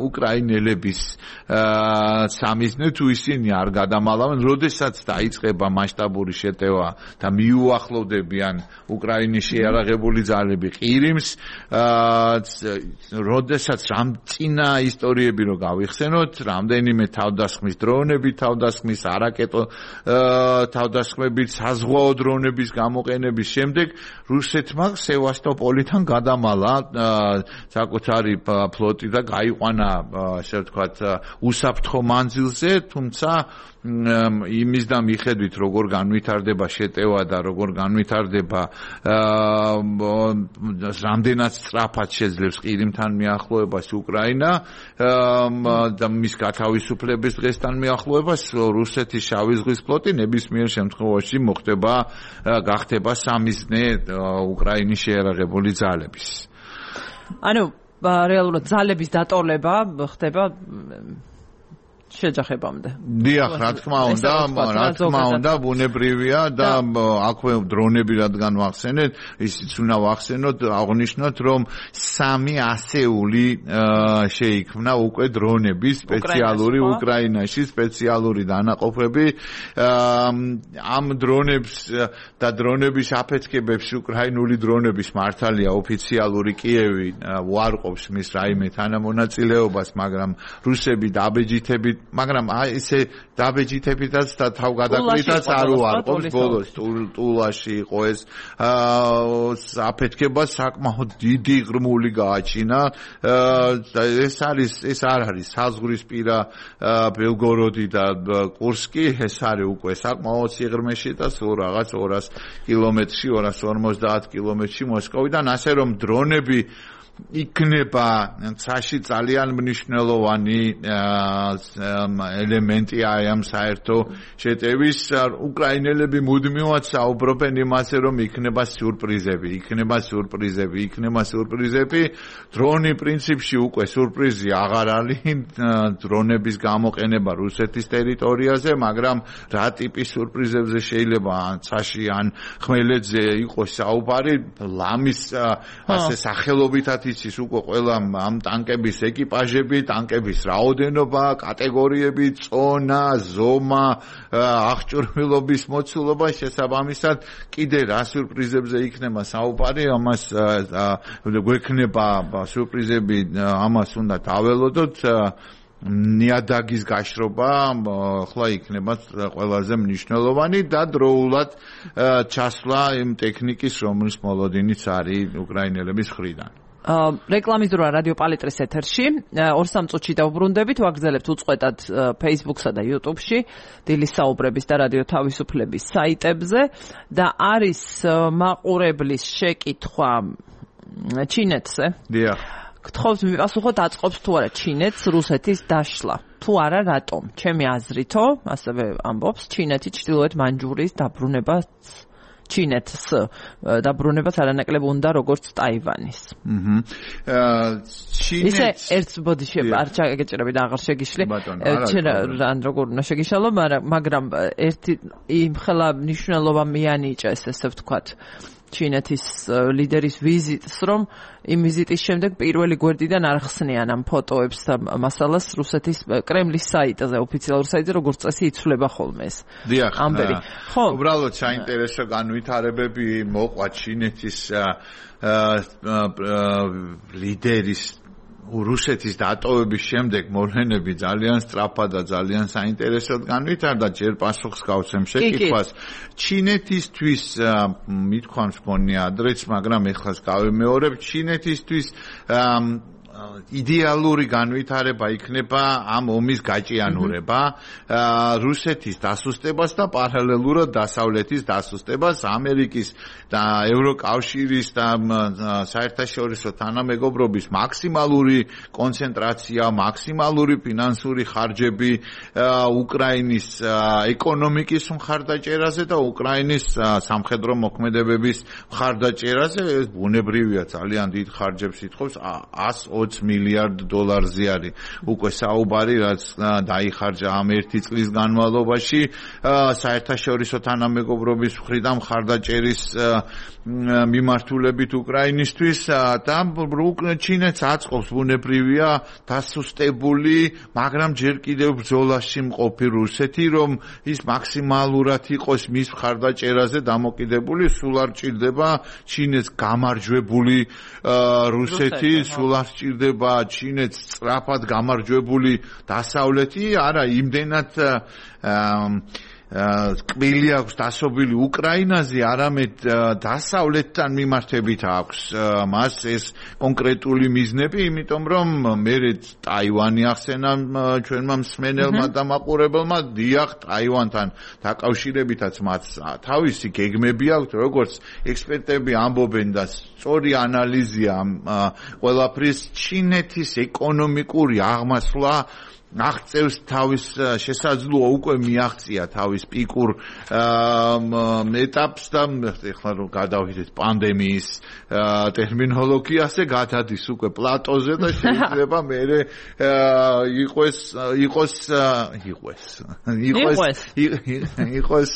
უკრაინელების სამიზნე თუ ისინი არ გადამალავენ, როდესაც დაიწყება მასშტაბური შეტევა და მიუახლოვდებიან უკრაინის შეიარაღებული ძალები ყირიმს, როდესაც რამ წინა ისტორიები რო გავიხსენოთ, რამდენიმე თავდასხმის დრონები, თავდასხმის არაკეტო თავდასხმებით, საზღვაო დრონების გამოყენების შემდეგ რუსეთმა სევასტოპოლიდან გადამალა საკუთარი ფლოტი და გაიყვანა, ასე ვთქვათ, უსაფრთხო მანძილზე, თუმცა იმის და მიხედვით როგორ განვითარდება შეტევა და როგორ განვითარდება რამდენად სწრაფად შეძლებს ყირიმთან მიახლოებას უკრაინა და მის გათავისუფლების დღესთან მიახლოებას რუსეთის შავი ზღვის ფლოტი ნებისმიერ შემთხვევაში მოხდება გახდება სამიზნე უკრაინის შეიარაღებული ძალების. ანუ რეალურად ძალების დატოლება ხდება შეჯახებამდე. დიახ, რა თქმა უნდა, რა თქმა უნდა, ბუნებრივია და აქვე დრონები რადგან ვახსენეთ, ისიც უნდა ვახსენოთ, აღნიშნოთ, რომ სამი ასეული შეიქმნა უკვე დრონები სპეციალური უკრაინაში, სპეციალური დანაყოფები. ამ დრონებს და დრონების აფეთქებებს უკრაინული დრონების მართალია ოფიციალური კიევი უარყოფს მის რაიმე თანამონაწილეობას, მაგრამ რუსები დაბეჯითებით მაგრამ ესე დაბეჯითებითაც და თავგადაკლითაც არ უარყოფს ბოლოს ტულაში იყო ეს აფეთქება საკმაოდ დიდი ღრმული გააჩინა ეს არის ეს არ არის საზღვრისპირა ბელგოროდი და კურსკი ეს არის უკვე საკმაოდ სიღრმეში და სულ რაღაც ორას კილომეტრში ორას ორმოცდაათ კილომეტრში მოსკოვიდან ასე რომ დრონები იქნება ცაში ძალიან მნიშვნელოვანი ელემენტი აი ამ საერთო შეტევის უკრაინელები მუდმივად საუბრობენ იმაზე რომ იქნება სიურპრიზები იქნება სიურპრიზები იქნება სიურპრიზები დრონი პრინციპში უკვე სიურპრიზი აღარ არის დრონების გამოყენება რუსეთის ტერიტორიაზე მაგრამ რა ტიპის სიურპრიზებზე შეიძლება ან ცაში ან ხმელეთზე იყოს საუბარი ლამის ასე სახელობითად იცის უკვე ყველა ამ ტანკების ეკიპაჟები, ტანკების რაოდენობა, კატეგორიები, წონა, ზომა, აღჭურვილობის მოცულობა შესაბამისად კიდე რა სიურპრიზებზე იქნება საუბარი, ამას გვექნება სიურპრიზები, ამას უნდა დაველოდოთ ნიადაგის გაშრობა ხლა იქნება ყველაზე მნიშვნელოვანი და დროულად ჩასვლა იმ ტექნიკის რომლის მოლოდინიც არის უკრაინელების მხრიდან. რეკლამის დროა რადიო პალიტრის ეთერში ორ სამ წუთში დავბრუნდებით ვაგრძელებთ უწყვეტად Facebook-სა და YouTube-ში დილის საუბრების და რადიო თავისუფლების საიტებზე და არის მაყურებლის შეკითხვა ჩინეთზე. დიახ. გთხოვთ მიპასუხოთ აწყობს თუ არა ჩინეთს რუსეთის დაშლა. თუ არა რატომ? ჩემი აზრითო, ასევე ამბობს ჩინეთი ჩრდილოეთ მანჯურიის დაბრუნებას ჩინეთს დაბრუნებას არანაკლებ უნდა როგორც ტაივანის. აჰა. ჩინეთს ისე ერთ ბოდიში არ ჩაგეჭრები და აღარ შეგიშლი. ჩვენ რან როგორ უნდა შეგიშალო, მაგრამ ერთი იმ ხელა მნიშვნელობა მიანიჭეს, ესე ვთქვათ. ჩინეთის ლიდერის ვიზიტს, რომ იმ ვიზიტის შემდეგ პირველი გვერდიდან არ ხსნიან ამ ფოტოებს და მასალას რუსეთის კრემლის საიტზე, ოფიციალურ საიტზე, როგორც წესი იცვლება ხოლმე ეს. დიახ. ამბერი. ხო. უბრალოდ საინტერესო განვითარებები მოყვა ჩინეთის ლიდერის რუსეთის დატოვების შემდეგ მოვლენები ძალიან სწრაფად და ძალიან საინტერესოდ განვითარდა. ჯერ პასუხს გავცემ შეკითხვას. ჩინეთისთვის მithქვამს მგონია ადრეც, მაგრამ ეხლაც გავიმეორებ, ჩინეთისთვის იდეალური განვითარება იქნება ამ ომის გაჭიანურება, რუსეთის დასუსტებას და პარალელურად დასავლეთის დასუსტებას, ამერიკის და ევროკავშირის და საერთაშორისო თანამეგობრობის მაქსიმალური კონცენტრაცია, მაქსიმალური ფინანსური ხარჯები უკრაინის ეკონომიკის მხარდაჭერაზე და უკრაინის სამხედრო მოქმედებების მხარდაჭერაზე. ეს ბუნებრივია, ძალიან დიდ ხარჯებს ითხოვს, ას მილიარდ დოლარზე არის უკვე საუბარი, რაც დაიხარჯა ამ ერთი წლის განმავლობაში საერთაშორისო თანამეგობრობის მხრიდან მხარდაჭერის მიმართულებით უკრაინისთვის და ჩინეთს აწყობს ბუნებრივია დასუსტებული, მაგრამ ჯერ კიდევ ბრძოლაში მყოფი რუსეთი, რომ ის მაქსიმალურად იყოს მის მხარდაჭერაზე დამოკიდებული, სულ არ ჭირდება ჩინეთს გამარჯვებული რუსეთი, სულ არ ჭირდება ჩინეთს სწრაფად გამარჯვებული დასავლეთი, არა, იმდენად კბილი აქვს დასობილი უკრაინაზე, არამედ დასავლეთთან მიმართებით აქვს მას ეს კონკრეტული მიზნები, იმიტომ რომ მერე ტაივანი ახსენა ჩვენმა მსმენელმა და მაყურებელმა, დიახ, ტაივანთან დაკავშირებითაც მათ თავისი გეგმები აქვს, როგორც ექსპერტები ამბობენ და სწორი ანალიზია ყველაფრის, ჩინეთის ეკონომიკური აღმასვლა აღწევს თავის შესაძლოა უკვე მიაღწია თავის პიკურ ეტაპს და ეხლა რომ გადავიდეთ პანდემიის ტერმინოლოგიაზე, გადადის უკვე პლატოზე და შეიძლება მერე იყოს იყოს იყოს იყოს იყოს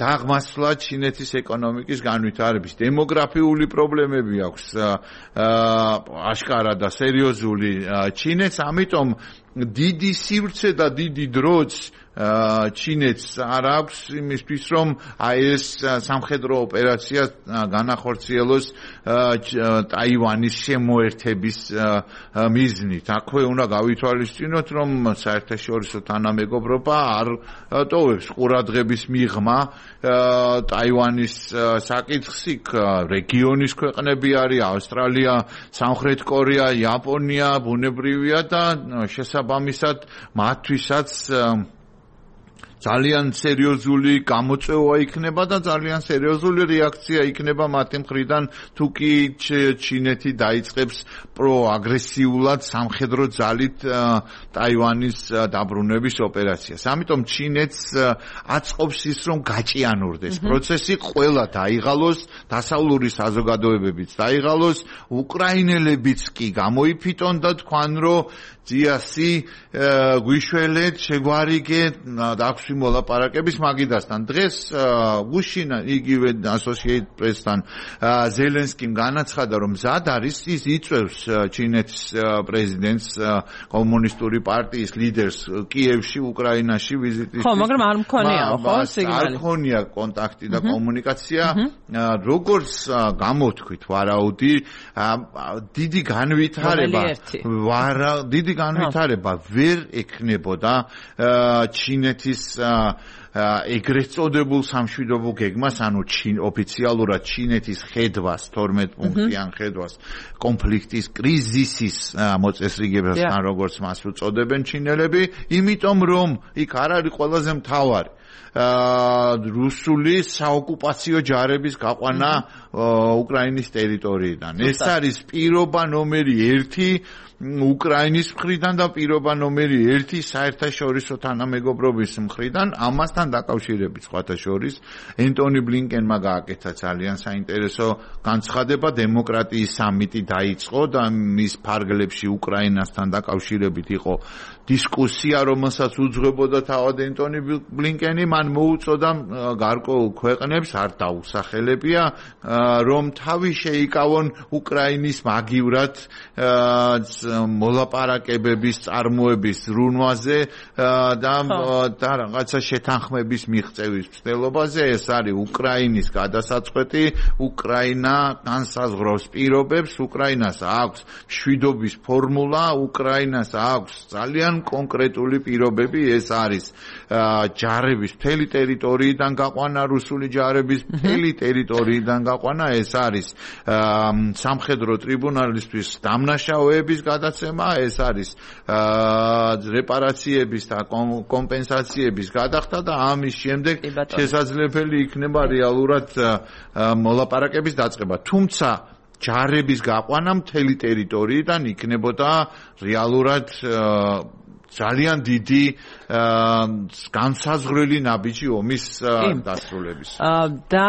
დაღმასვლა ჩინეთის ეკონომიკის განვითარების. დემოგრაფიული პრობლემები აქვს აშკარა და სერიოზული ჩინეთს, ამიტომ დიდი სივრცე და დიდი დროც ჩინეთს არ აქვს იმისთვის, რომ აი ეს სამხედრო ოპერაცია განახორციელოს ტაივანის შემოერთების მიზნით. აქვე უნდა გავითვალისწინოთ, რომ საერთაშორისო თანამეგობრობა არ ტოვებს ყურადღების მიღმა ტაივანის საკითხს. იქ რეგიონის ქვეყნები არის, ავსტრალია, სამხრეთ კორეა, იაპონია, ბუნებრივია და შესაბამისად მათთვისაც ძალიან სერიოზული გამოწვევა იქნება და ძალიან სერიოზული რეაქცია იქნება მათი მხრიდან, თუ კი ჩინეთი დაიწყებს პროაგრესიულად სამხედრო ძალით ტაივანის დაბრუნების ოპერაციას. ამიტომ ჩინეთს აწყობს ის, რომ გაჭიანურდეს პროცესი, ყველა დაიღალოს, დასავლური საზოგადოებებიც დაიღალოს, უკრაინელებიც კი გამოიფიტონ და თქვან, რომ ძიასი გვიშველეთ, შეგვარიგეთ, დაგვში მოლაპარაკების მაგიდასთან. დღეს გუშინა იგივე Associated Press-თან ზელენსკიმ განაცხადა, რომ მზად არის, ის იწევს ჩინეთის პრეზიდენტს, კომუნისტური პარტიის ლიდერს კიევში, უკრაინაში ვიზიტისთვის. ხო, მაგრამ არ მქონია, ხო, სიგნალი. არ მქონია კონტაქტი და კომუნიკაცია. როგორც გამოთქვით, ვარაუდი, დიდი განვითარება, ვარა დიდი განვითარება ვერ ექნებოდა ჩინეთის ეგრეთ წოდებულ სამშვიდობო გეგმას, ანუ ოფიციალურად ჩინეთის ხედვას, თორმეტ პუნქტიან ხედვას, კონფლიქტის, კრიზისის მოწესრიგებასთან, როგორც მას უწოდებენ ჩინელები, იმიტომ რომ იქ არ არის ყველაზე მთავარი რუსული საოკუპაციო ჯარების გაყვანა უკრაინის ტერიტორიიდან. ეს არის პირობა ნომერი ერთი უკრაინის მხრიდან და პირობა ნომერი ერთი საერთაშორისო თანამეგობრობის მხრიდან. ამასთან დაკავშირებით სხვათა შორის ენტონი ბლინკენმა გააკეთა ძალიან საინტერესო განცხადება, დემოკრატიის სამიტი დაიწყო და მის ფარგლებში უკრაინასთან დაკავშირებით იყო დისკუსია, რომელსაც უძღვებოდა თავად ენტონი ბლინკენი, მან მოუწოდა გარკვეულ ქვეყნებს, არ დაუსახელებია, რომ თავი შეიკავონ უკრაინის მაგივრად მოლაპარაკებების წარმოების ზრუნვაზე და და რაღაცა შეთანხმების მიღწევის მცდელობაზე. ეს არის უკრაინის გადასაწყვეტი, უკრაინა განსაზღვრავს პირობებს, უკრაინას აქვს მშვიდობის ფორმულა, უკრაინას აქვს ძალიან კონკრეტული პირობები, ეს არის ჯარების მთელი ტერიტორიიდან გაყვანა, რუსული ჯარების მთელი ტერიტორიიდან გაყვანა, ეს არის სამხედრო ტრიბუნალისთვის დამნაშავეების გადაცემა, ეს არის რეპარაციების და კომპენსაციების გადახდა და ამის შემდეგ შესაძლებელი იქნება რეალურად მოლაპარაკების დაწყება. თუმცა ჯარების გაყვანა მთელი ტერიტორიიდან იქნებოდა რეალურად ძალიან დიდი განსაზღვრელი ნაბიჯი ომის დასრულების. და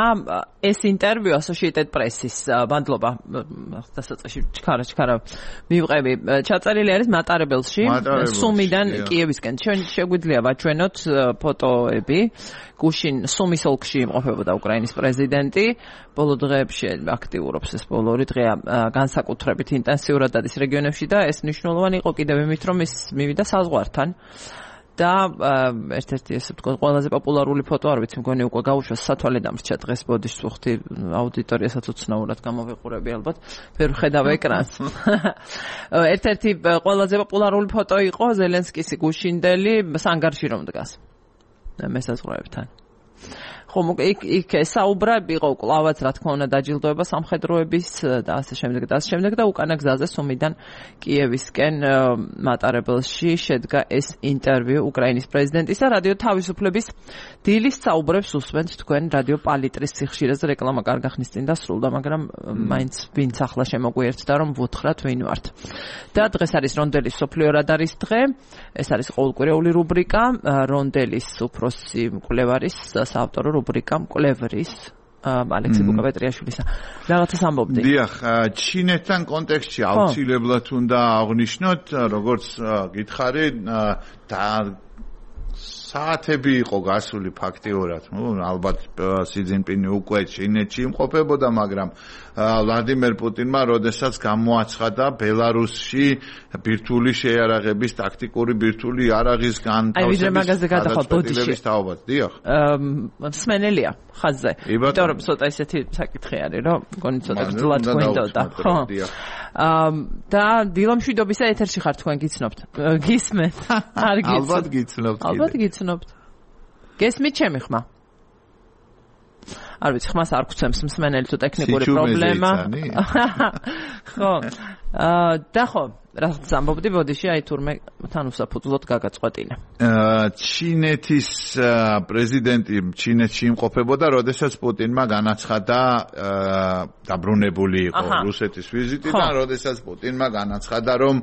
ეს ინტერვიუ Associated Press-ის მადლობა დასაწყისში ჩქარა ჩქარა მივყევი ჩაწერილი არის მატარებელში სუმიდან კიევისკენ. ჩვენ შეგვიძლია ვაჩვენოთ ფოტოები. გუშინ სუმის ოლქში იმყოფებოდა უკრაინის პრეზიდენტი. ბოლო დღეებში აქტიურობს ეს ბოლო ორი დღეა განსაკუთრებით ინტენსიურად დადის რეგიონებში და ეს მნიშვნელოვანი იყო კიდევ იმით, რომ ის მივიდა საზღვართან. და ერთ-ერთი ესე ვთქვათ ყველაზე პოპულარული ფოტო არ ვიცი მგონი უკვე გაუშვა სათვალე დამრჩა დღეს ბოდიშ სუხთი აუდიტორიასაც უცნაურად გამოვიყურები ალბათ ვერ ხედავ ეკრანს. ერთ-ერთი ყველაზე პოპულარული ფოტო იყო ზელენსკის გუშინდელი სანგარში რომ დგას მესაზღვროებთან. ხომ იქ იქ საუბრა იყო კლავაც რა თქმა უნდა დაჯილდოება სამხედროების და ასე შემდეგ და ასე შემდეგ და უკანა გზაზე სუმიდან კიევისკენ მატარებელში შედგა ეს ინტერვიუ უკრაინის პრეზიდენტის და რადიო თავისუფლების დილის საუბრებს უსმენთ თქვენ რადიო პალიტრის სიხშირეზე რეკლამა კარგახნის წინ დასრულდა მაგრამ მაინც ვინც ახლა შემოგვიერთდა რომ ვუთხრათ ვინ ვართ. და დღეს არის რონდელის სოფლიო რადარის დღე. ეს არის ყოველკვირეული რუბრიკა რონდელის უფროსი მკვლევარის საავტორო რუბრიკა მკვლევრის ალექსი ბუკაპეტრიაშვილისა. რაღაცას ამბობდი. დიახ, ჩინეთთან კონტექსტში აუცილებლად უნდა აღვნიშნოთ, როგორც გითხარი, და საათები იყო გასული ფაქტიურად. ნუ ალბათ სი ძინპინი უკვე ჩინეთში იმყოფებოდა, მაგრამ ვლადიმერ პუტინმა როდესაც გამოაცხადა ბელარუსში ბირთვული შეიარაღების ტაქტიკური ბირთვული იარაღის განთავსების თაობაც. დიახ. მსმენელია ხაზზე. იმიტომ რომ ცოტა ისეთი საკითხი არის, რომ მგონი ცოტა გძლად გვინდოდა. ხო. და დილომშვიდობისა ეთერში ხარ თქვენ გიცნობთ. გისმენთ? არ გიცნობთ. ალბათ გიცნობთ. ალბათ გიცნობთ. გესმით ჩემი ხმა? არ ვიცი, ხმას არ გვცემს მსმენელი თუ ტექნიკური პრობლემა. ხო. და ხო, რაღაც ამბობდი ბოდიში, აი თურმე თან უსაფუძვლოდ გაგაწყვეტინა. ჩინეთის პრეზიდენტი ჩინეთში იმყოფებოდა, როდესაც პუტინმა განაცხადა დაბრუნებული იყო რუსეთის ვიზიტიდან, როდესაც პუტინმა განაცხადა, რომ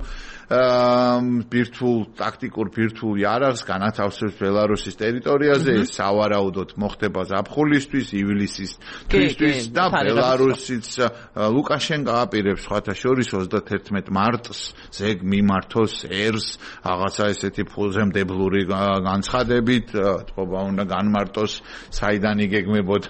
ბირთვულ ტაქტიკურ ბირთვულ იარაღს განათავსებს ბელარუსის ტერიტორიაზე, ეს სავარაუდოდ მოხდება ზაფხულისთვის, ივლისის თვისთვის და ბელარუსიც ლუკაშენკო აპირებს სხვათა შორის ოცდაათერთმეტ მარტს ზეგ მიმართოს ერს რაღაცა ესეთი ფულზემდებლური განცხადებით, თქობა უნდა განმარტოს საიდან იგეგმებოდა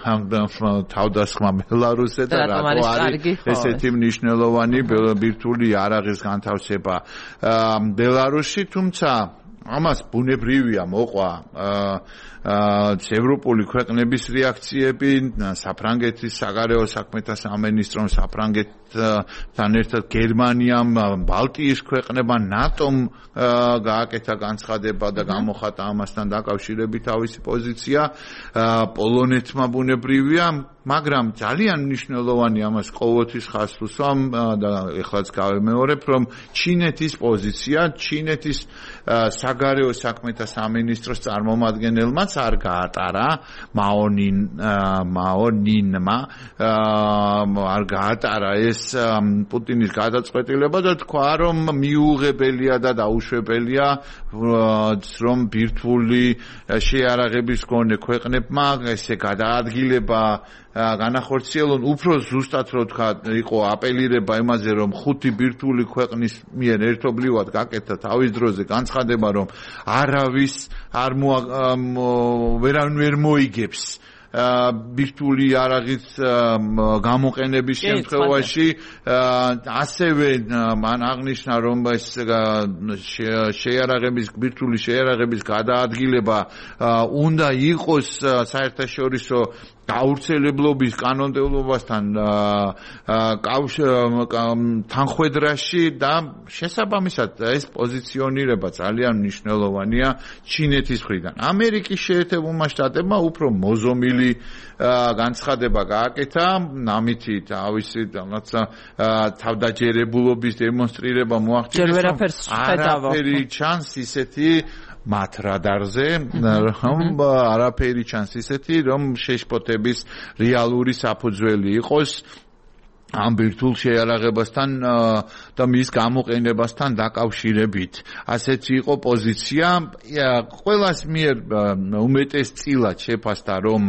თავდასხმა ბელარუსზე და რატო არის ესეთი მნიშვნელოვანი ბირთვული იარაღის განთავსება ბელარუსში, თუმცა ამას ბუნებრივია მოყვა ევროპული ქვეყნების რეაქციები, საფრანგეთის საგარეო საქმეთა სამინისტრომ, საფრანგეთთან ერთად გერმანიამ, ბალტიის ქვეყნებმა, ნატომ გააკეთა განცხადება და გამოხატა ამასთან დაკავშირებით თავისი პოზიცია. პოლონეთმა ბუნებრივია, მაგრამ ძალიან მნიშვნელოვანი ამას ყოველთვის ხაზს ვუსვამ და ეხლაც გავემეორებ, რომ ჩინეთის პოზიცია, ჩინეთის საგარეო საქმეთა სამინისტროს წარმომადგენელმაც არ გაატარა მაონინ მაონინმა არ გაატარა ეს პუტინის გადაწყვეტილება და თქვა, რომ მიუღებელია და დაუშვებელია, რომ ბირთვული შეიარაღების მქონე ქვეყნებმა ესე გადაადგილება განახორციელონ, უფრო ზუსტად რო თქვა, იყო აპელირება იმაზე, რომ ხუთი ბირთვული ქვეყნის მიერ ერთობლივად გაკეთა თავის დროზე განცხადება, რომ არავის არ ვერან ვერ მოიგებს ბირთვული იარაღის გამოყენების შემთხვევაში, ასევე მან აღნიშნა, რომ ეს შეიარაღების ბირთვული შეიარაღების გადაადგილება უნდა იყოს საერთაშორისო გავრცელებლობის კანონმდებლობასთან თანხვედრაში და შესაბამისად ეს პოზიციონირება ძალიან მნიშვნელოვანია ჩინეთის მხრიდან. ამერიკის შეერთებულმა შტატებმა უფრო მოზომილი განცხადება გააკეთა, ამითი თავისი რაღაცა თავდაჯერებულობის დემონსტრირება მოახდინეს, არაფერი ჩანს ისეთი მათ რადარზე, რომ არაფერი ჩანს ისეთი, რომ შეშფოთების რეალური საფუძველი იყოს ამ ბირთვულ შეიარაღებასთან და მის გამოყენებასთან დაკავშირებით. ასეთი იყო პოზიცია. ყველას მიერ უმეტესწილად შეფასდა, რომ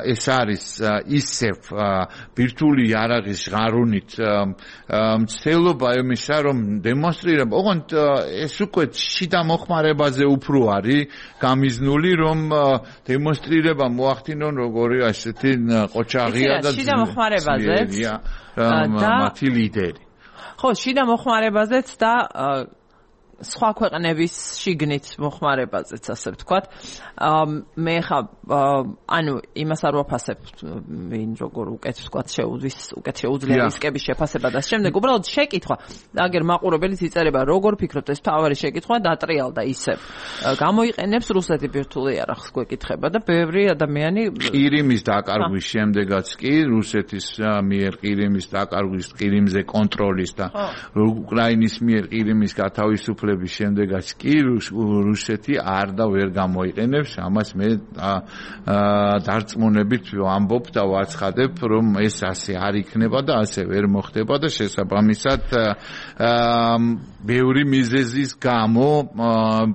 ეს არის ისევ ბირთვული იარაღის ღარუნით მცდელობა იმისა, რომ დემონსტრირება, ოღონდ ეს უკვე შიდა მოხმარებაზე უფრო არის გამიზნული, რომ დემონსტრირება მოახდინონ როგორი ასეთი ყოჩაღია და შიდა მოხმარებაზეც მათი ლიდერი. ხო, შიდა მოხმარებაზეც და სხვა ქვეყნების შიგნით მოხმარებაზეც, ასე ვთქვათ. მე ხა ანუ იმას არ ვაფასებ, ვინ როგორ უკეთ ვთქვათ შეუძლის, უკეთ შეუძლია რისკების შეფასება და შემდეგ უბრალოდ შეკითხვა. აგერ მაყურებელიც იწერება, როგორ ფიქრობთ, ეს თავარი შეკითხვა დატრიალდა ისევ. გამოიყენებს რუსეთი ბირთვული იარაღს გვეკითხება და ბევრი ადამიანი ყირიმის დაკარგვის შემდეგაც კი რუსეთის მიერ ყირიმის დაკარგვის, ყირიმზე კონტროლის და უკრაინის მიერ ყირიმის გათავისუფლების შემდეგაც კი რუსეთი არ და ვერ გამოიყენებს. ამას მე დარწმუნებით ვამბობ და ვაცხადებ, რომ ეს ასე არ იქნება და ასე ვერ მოხდება და შესაბამისად ბევრი მიზეზის გამო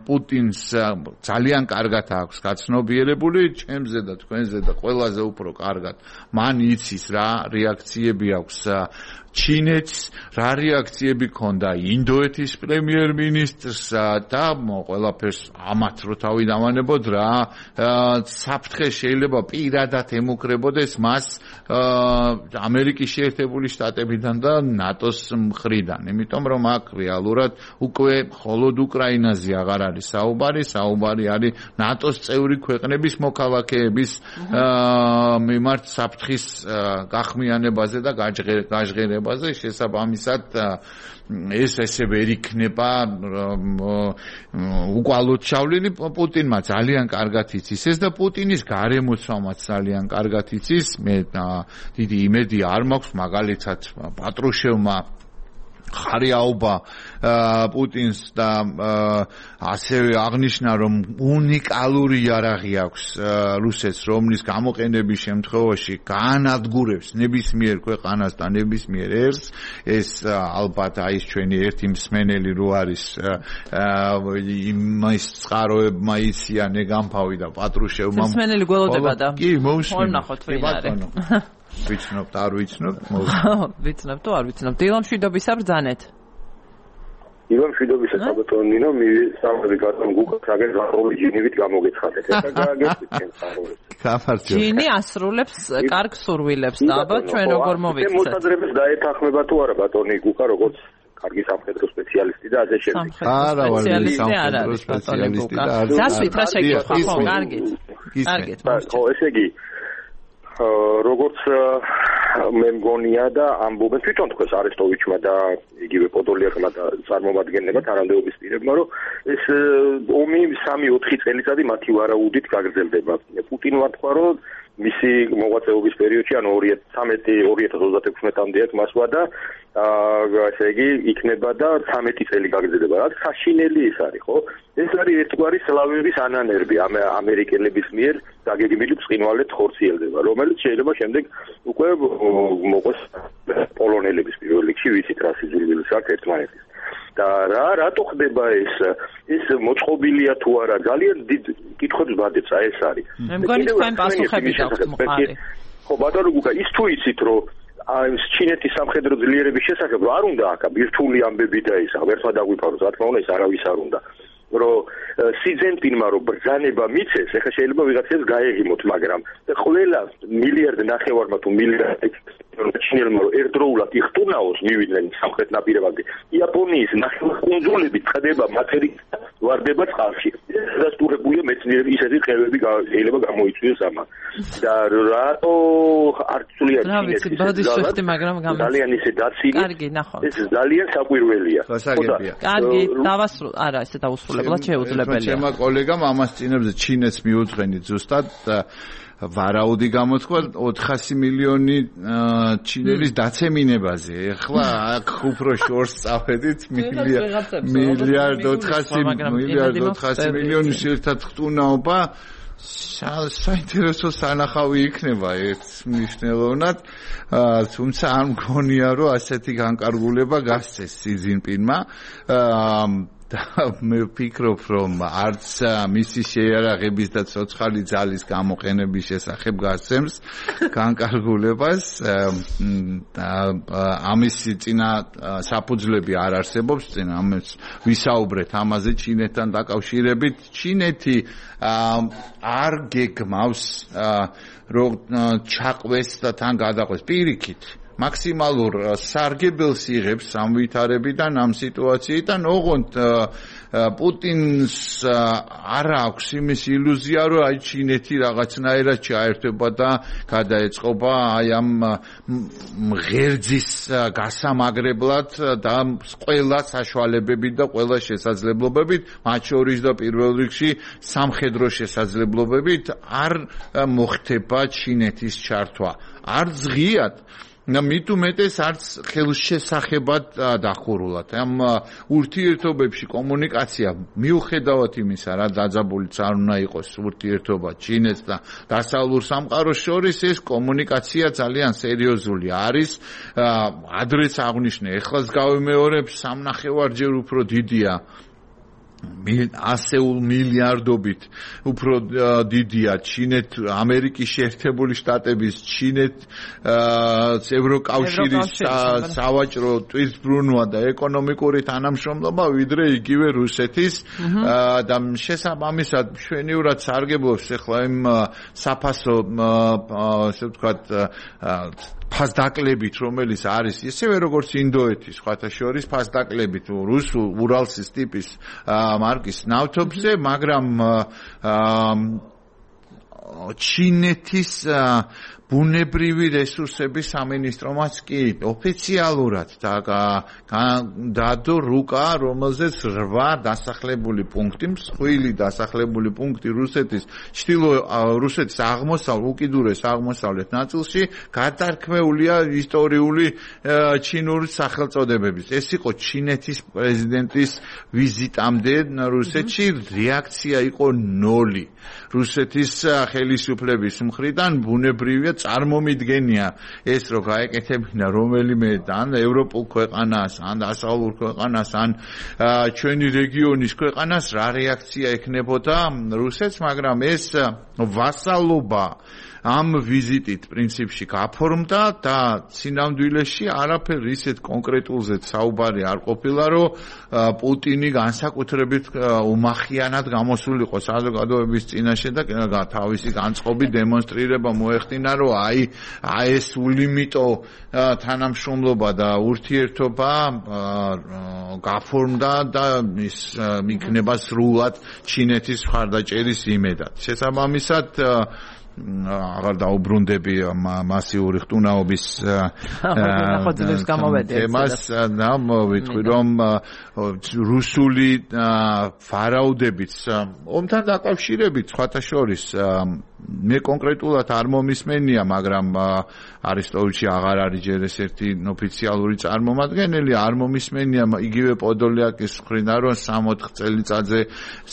პუტინს ძალიან კარგად აქვს გაცნობიერებული, ჩემზე და თქვენზე და ყველაზე უფრო კარგად მან იცის რა რეაქციები აქვს ჩინეთს, რა რეაქციები ქონდა ინდოეთის პრემიერ-მინისტრს და ყველაფერს ამათ რო თავი დავანებოდ რა საფრთხე შეიძლება პირადად ემუქრებოდეს მას ამერიკის შეერთებული შტატებიდან და ნატოს მხრიდან. იმიტომ რომ აქ რეალურად უკვე მხოლოდ უკრაინაზე აღარ არის საუბარი, საუბარი არის ნატოს წევრი ქვეყნების მოქალაქეების მიმართ საფრთხის გახმიანებაზე და გაჟღერებაზე. შესაბამისად ეს ესე ვერ იქნება უკვალოდ ჩავლილი. პუტინმა ძალიან კარგად იცის ეს და პუტინის გარემოცვამაც ძალიან კარგად იცის. მე დიდი იმედი არ მაქვს, მაგალითად პატრუშევმა ხარიაობა პუტინს და ასევე აღნიშნა, რომ უნიკალური იარაღი აქვს რუსეთს, რომლის გამოყენების შემთხვევაში გაანადგურებს ნებისმიერ ქვეყანას და ნებისმიერ ერს. ეს ალბათ არის ჩვენი ერთი მსმენელი რო არის იმის წყაროებმა იციან ეგამფავი და პატრუშევმა მსმენელი გველოდება და კი მოусმინე ნახოთ ვინ არის. ვიცნობთ, არ ვიცნობთ, ვიცნობთ თუ არ ვიცნობთ. დილამ შვიდობისა ბრძანეთ. დილამ შვიდობისა საბატონინო, მივესალმები გატომ გუკაც აგერ გახური ჯინივით გამოგეცხადეთ. ეხლა გააგებთ ჩვენ ხარული. გაფართო. ჯინი ასრულებს კარგ სურვილებს და ალბათ ჩვენ როგორ მოვიქცეთ. მე მოსაძრებს დაეთანხმება თუ არა ბატონი გუკა, როგორც კარგი სამხედრო სპეციალისტი და ასე შემდეგ. არა, ვარ სამხედრო სპეციალისტი და არ გასვით რა შეკითხვა, ხო, კარგით. კარგით. ხო, ესე იგი როგორც მე მგონია და ამბობენ თვითონ თქვენს არესტოვიჩმა და იგივე პოდოლიაკმა და წარმომადგენლებმა თანამდებობის პირებმა, რომ ეს ომი სამი ოთხი წელიწადი მათი ვარაუდით გაგრძელდება. პუტინმა თქვა, რომ მისი მოღვაწეობის პერიოდში, ანუ ორი ათას ცხრამეტი ორი ათას ოცდაექვსმეტამდე აქ მასვა და ესე იგი იქნება და ცხრამეტი წელი გაგრძელდება. რაც საშინელი ის არის, ხო? ეს არის ერთგვარი სლავების ანანერბი ამერიკელების მიერ დაგეგმილი ბრწყინვალედ ხორციელდება, რომელიც შეიძლება შემდეგ უკვე მოყვეს პოლონელების პირველ რიგში, ვიცით რა სიძულვილიც აქვს ერთმანეთის. და რა რატო ხდება ეს? ეს მოწყობილია თუ არა? ძალიან დიდ კითხვებს ბადებს, აი ეს არის. მე მგონი თქვენ პასუხები გაქვთ მყარი. ხო ბატონო გუგა ის თუ იცით რომ აი ჩინეთის სამხედრო ძლიერების შესახებ არ უნდა აქ ბირთვული ამბები და ისა ერთმა დაგვიფაროს რა თქმა უნდა ის არავის არ უნდა რომ სი ძენპინმა რომ ბრძანება მიცეს ეხლა შეიძლება ვიღაცას გაეღიმოთ მაგრამ ყველა მილიარდ ნახევარმა თუ მილიარდ ჩინელმა რომ ერთდროულად იხტუნაოს მივიდნენ სამხრეთ ნაპირებამდე იაპონიის ნახევარკუნძულები ხდება მატერიქსა ვარდება წყალში დასტურებულია მეცნიერები ისეთი ყევები შეიძლება გამოიწვიოს ამან და რატო არ ცვლია ჩინეთის ძალიან ისე დაცილი ეს ძალიან საკვირველია კარგი დავასრულე არა ესე დაუსრულებლად შეუძლებელია ჩემმა კოლეგამ ამას წინებზე ჩინეთს მიუძღენით ზუსტად ვარაუდი გამოთქვა ოთხასი მილიონი ჩინელის დაცემინებაზე. ეხლა აქ უფრო შორს წავედით მილიარდ ოთხასი მილიარდ ოთხასი მილიონის ერთად ხტუნაობა საინტერესო სანახავი იქნება ერთ მნიშვნელოვნად თუმცა არ მგონია რომ ასეთი განკარგულება გასცეს სი ძინპინმა და მე ვფიქრობ რომ არც მისი შეიარაღების და ცოცხალი ძალის გამოყენების შესახებ გასცემს განკარგულებას ამის წინა საფუძვლები არ არსებობს წინ ამას ვისაუბრეთ ამაზე ჩინეთთან დაკავშირებით ჩინეთი არ გეგმავს რომ ჩაყვეს და თან გადაყვეს პირიქით მაქსიმალურ სარგებელს იღებს ამ ვითარებიდან ამ სიტუაციიდან ოღონდ პუტინს არ აქვს იმის ილუზია რომ აი ჩინეთი რაღაცნაირად ჩაერთვება და გადაეწყობა აი ამ ღერძის გასამაგრებლად და ყველა საშუალებებით და ყველა შესაძლებლობებით მათ შორის და პირველ რიგში სამხედრო შესაძლებლობებით არ მოხდება ჩინეთის ჩართვა არ ზღიად და მით უმეტეს არც ხელშესახებად დახურულად. ამ ურთიერთობებში კომუნიკაცია მიუხედავად იმისა, რა დაძაბულიც არ უნდა იყოს ურთიერთობა ჩინეთს და დასავლურ სამყაროს შორის, ეს კომუნიკაცია ძალიან სერიოზული არის. ადრეც აღნიშნე, ეხლაც გავიმეორებ, სამნახევარჯერ უფრო დიდია ასეულ მილიარდობით უფრო დიდია ჩინეთ ამერიკის შეერთებული შტატების ჩინეთ ევროკავშირის სავაჭრო ტვირთბრუნვა და ეკონომიკური თანამშრომლობა ვიდრე იგივე რუსეთის და შესაბამისად მშვენივრად სარგებლობს ახლა იმ საფასო ასე ვთქვათ ფასდაკლებით რომელიც არის ისევე როგორც ინდოეთის სხვათა შორის ფასდაკლებით რუსულ ურალსის ტიპის მარკის ნავთობზე მაგრამ ჩინეთის ბუნებრივი რესურსების სამინისტრომაც კი ოფიციალურად დადო რუკა რომელზეც რვა დასახლებული პუნქტი მსხვილი დასახლებული პუნქტი რუსეთის ჩtildeო რუსეთის აღმოსავლეთ უკიდურეს აღმოსავლეთ ნაწილში გადარქმეულია ისტორიული ჩინური სახელწოდებებით ეს იყო ჩინეთის პრეზიდენტის ვიზიტამდე რუსეთში რეაქცია იყო ნოლი რუსეთის ხელისუფლების მხრიდან ბუნებრივია წარმომიდგენია ეს რომ გაეკეთებინა რომელიმე ან ევროპულ ქვეყანას ან დასავლურ ქვეყანას ან ჩვენი რეგიონის ქვეყანას რა რეაქცია ექნებოდა რუსეთს მაგრამ ეს ვასალობა ამ ვიზიტით პრინციპში გაფორმდა და სინამდვილეში არაფერ ისეთ კონკრეტულზე საუბარი არ ყოფილა რომ პუტინი განსაკუთრებით უმახიანად გამოსულიყო საზოგადოების წინაშე და თავისი განწყობი დემონსტრირება მოეხდინა რომ აი აი ეს ულიმიტო თანამშრომლობა და ურთიერთობა გაფორმდა და ის იქნება სრულად ჩინეთის მხარდაჭერის იმედად შესაბამისად აღარ დაუბრუნდები მასიური ხტუნაობის თემას და ვიტყვი რომ რუსული ვარაუდებით ომთან დაკავშირებით სხვათა შორის მე კონკრეტულად არ მომისმენია მაგრამ არისტოვიჩი აღარ არის ჯერ ეს ერთი ოფიციალური წარმომადგენელი არ მომისმენია იგივე პოდოლიაკის მხრიდან რომ სამოთხ წელიწადზე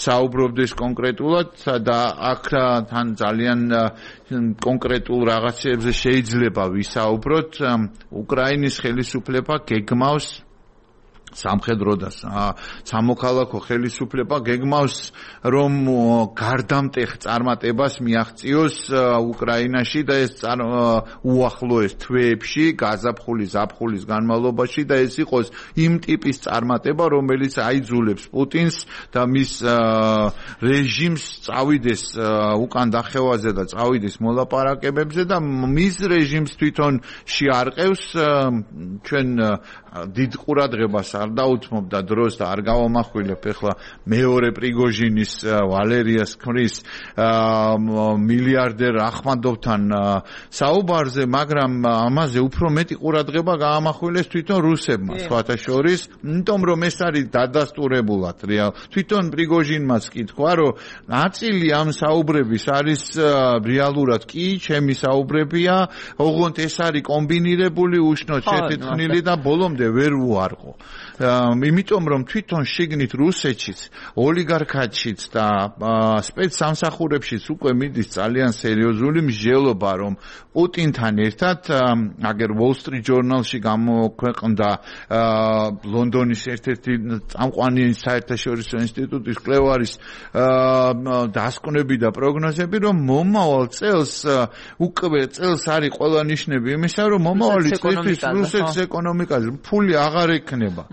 საუბრობდეს კონკრეტულად და აქ თან ძალიან კონკრეტულ რაღაცებზე შეიძლება ვისაუბროთ უკრაინის ხელისუფლება გეგმავს სამხედრო და სამოქალაქო ხელისუფლება გეგმავს რომ გარდამტეხ წარმატებას მიაღწიოს უკრაინაში და ეს უახლოეს თვეებში გაზაფხულის ზაფხულის განმავლობაში და ეს იყოს იმ ტიპის წარმატება რომელიც აიძულებს პუტინს და მის რეჟიმს წავიდეს უკან დახევაზე და წავიდეს მოლაპარაკებებზე და მის რეჟიმს თვითონ შეარყევს ჩვენ დიდ ყურადღებას არ დაუთმობდა დროს და არ გავამახვილებ ახლა მეორე პრიგოჟინის ვალერიას ქმრის მილიარდერ ახმადოვთან საუბარზე, მაგრამ ამაზე უფრო მეტი ყურადღება გაამახვილეს თვითონ რუსებმა, სხვათა შორის, იმიტომ რომ ეს არის დადასტურებულად რეალ. თვითონ პრიგოჟინმაც კი თქვა, რომ ნაწილი ამ საუბრების არის რეალურად კი ჩემი საუბრებია, ოღონდ ეს არის კომბინირებული, უშნოდ შეთეთხმილი და ბოლომდე ვერ უარყო. იმიტომ რომ თვითონ შიგნით რუსეთშიც, ოლიგარქატშიც და სპეცსამსახურებშიც უკვე მიდის ძალიან სერიოზული მსჯელობა, რომ პუტინთან ერთად აგერ Wall Street Journal-ში გამოქვეყნდა ლონდონის ერთ-ერთი წამყვანი საერთაშორისო ინსტიტუტის კვლევარის დასკვნები და პროგნოზები, რომ მომავალ წელს უკვე წელს არის ყველა ნიშნები იმისა, რომ მომავალი წლისთვის რუსეთის ეკონომიკაზე ფული აღარ ექნება.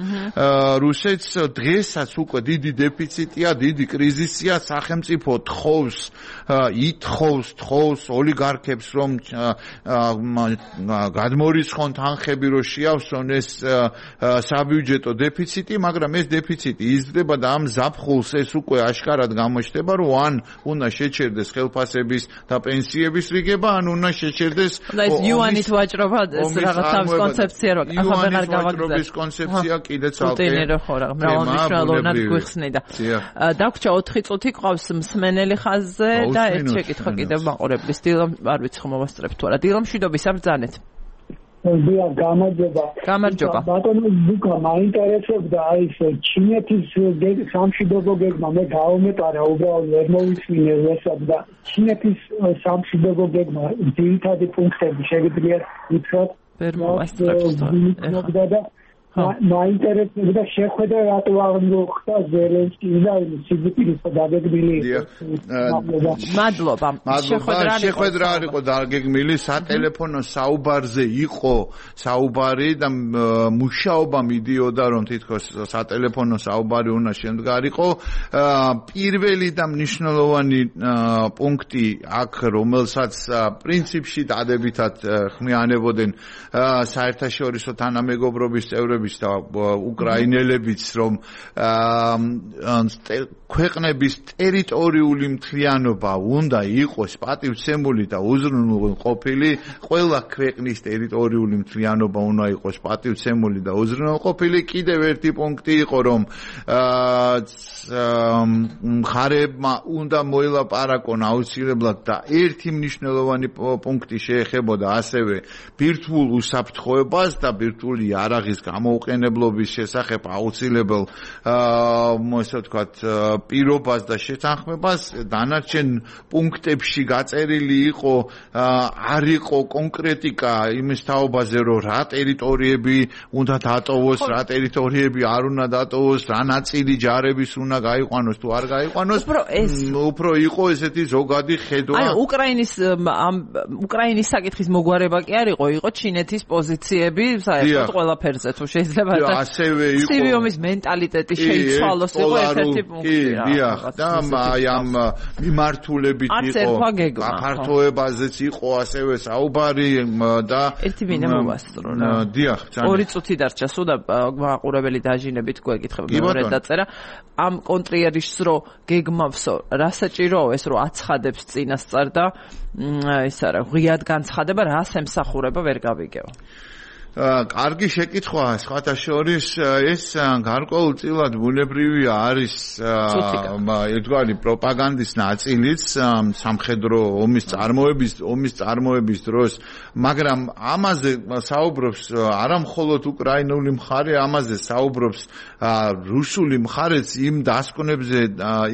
რუსეთს დღესაც უკვე დიდი დეფიციტია, დიდი კრიზისია, სახელმწიფო თხოვს, ითხოვს, თხოვს ოლიგარქებს, რომ გადმორიცხონ თანხები, რომ შეავსონ ეს საბიუჯეტო დეფიციტი, მაგრამ ეს დეფიციტი იზრდება და ამ ზაფხულს ეს უკვე აშკარად გამოჩნდება, რომ ან უნდა შეჩერდეს ხელფასების და პენსიების რიგება, ან უნდა შეჩერდეს და ეს იუანით ვაჭრობა, ეს რაღაცა კონცეფცია რო ახლა ბერნარ გავაგზავნე. კონცეფცია კიდე ცალკე პუტინერო ხო რა, მრავალმნიშვნელოვნად გვიხსნიდა. დაგვრჩა ოთხი წუთი ყავს მსმენელი ხაზზე და ერთ შეკითხვა კიდევ მაყურებლის დილამ არ ვიცი ხომ მოვასწრებთ თუ არა. დილამ მშვიდობის აბრძანეთ. დიახ, გამარჯობა. გამარჯობა. ბატონო ბუკა, მაინტერესებდა აი ეს ჩინეთის სამშვიდობო გეგმა, მე გავამეტარა უბრალოდ ვერ მოვისმინე ესა და ჩინეთის სამშვიდობო გეგმა ძირითადი პუნქტები შეგიძლიათ ვითხრათ? ვერ მოვასწრებთ თუ არა. მაინტერესებდა შეხვედრა რატო არ მოხდა ზელენსკის და სიბიტის დაგეგმილი. მადლობა. შეხვედრა არ იყო დაგეგმილი, სატელეფონო საუბარზე იყო საუბარი და მუშაობა მიდიოდა, რომ თითქოს სატელეფონო საუბარი უნდა შემდგარიყო. პირველი და მნიშვნელოვანი პუნქტი აქ, რომელსაც პრინციპში დადებითად ხმიანებოდნენ საერთაშორისო თანამეგობრობის წევრები და უკრაინელებიც, რომ ქვეყნების ტერიტორიული მთლიანობა უნდა იყოს პატივცემული და უზრუნველყოფილი, ყველა ქვეყნის ტერიტორიული მთლიანობა უნდა იყოს პატივცემული და უზრუნველყოფილი. კიდევ ერთი პუნქტი იყო, რომ მხარეებმა უნდა მოილაპარაკონ აუცილებლად და ერთი მნიშვნელოვანი პუნქტი შეეხებოდა ასევე ბირთვულ უსაფრთხოებას და ბირთვული იარაღის გამოუყენებლობის შესახებ აუცილებელ ასე ვთქვათ პირობას და შეთანხმებას. დანარჩენ პუნქტებში გაწერილი იყო, არ იყო კონკრეტიკა იმის თაობაზე, რომ რა ტერიტორიები უნდა დატოვოს, რა ტერიტორიები არ უნდა დატოვოს, რა ნაწილი ჯარების უნდა გაიყვანოს თუ არ გაიყვანოს. უფრო იყო ესეთი ზოგადი ხედვა. აი უკრაინის ამ უკრაინის საკითხის მოგვარება კი არ იყო, იყო ჩინეთის პოზიციები საერთოდ ყველაფერზე თუ შეიძლება და ასევე იყო სივიომის მენტალიტეტი შეიცვალოს, იყო ერთ-ერთი პუნქტი რა. დიახ, და აი ამ მიმართულებით იყო გაფართოებაზეც იყო ასევე საუბარი და ერთი მინე მოვასწრო რა. დიახ, ორი წუთი დარჩა, სულ და მაყურებელი დაჟინებით გვეკითხება მეორე დაწერა. ამ კონტრიერის რო გეგმავსო, რა საჭიროა ეს რო აცხადებს წინასწარ და ეს არა, ღიად განცხადება, რას ემსახურება ვერ გავიგეო. კარგი შეკითხვაა, სხვათა შორის ეს გარკვეულწილად ბუნებრივია, არის ერთგვარი პროპაგანდის ნაწილიც სამხედრო ომის წარმოების ომის წარმოების დროს, მაგრამ ამაზე საუბრობს არა მხოლოდ უკრაინული მხარე, ამაზე საუბრობს რუსული მხარეც იმ დასკვნებზე,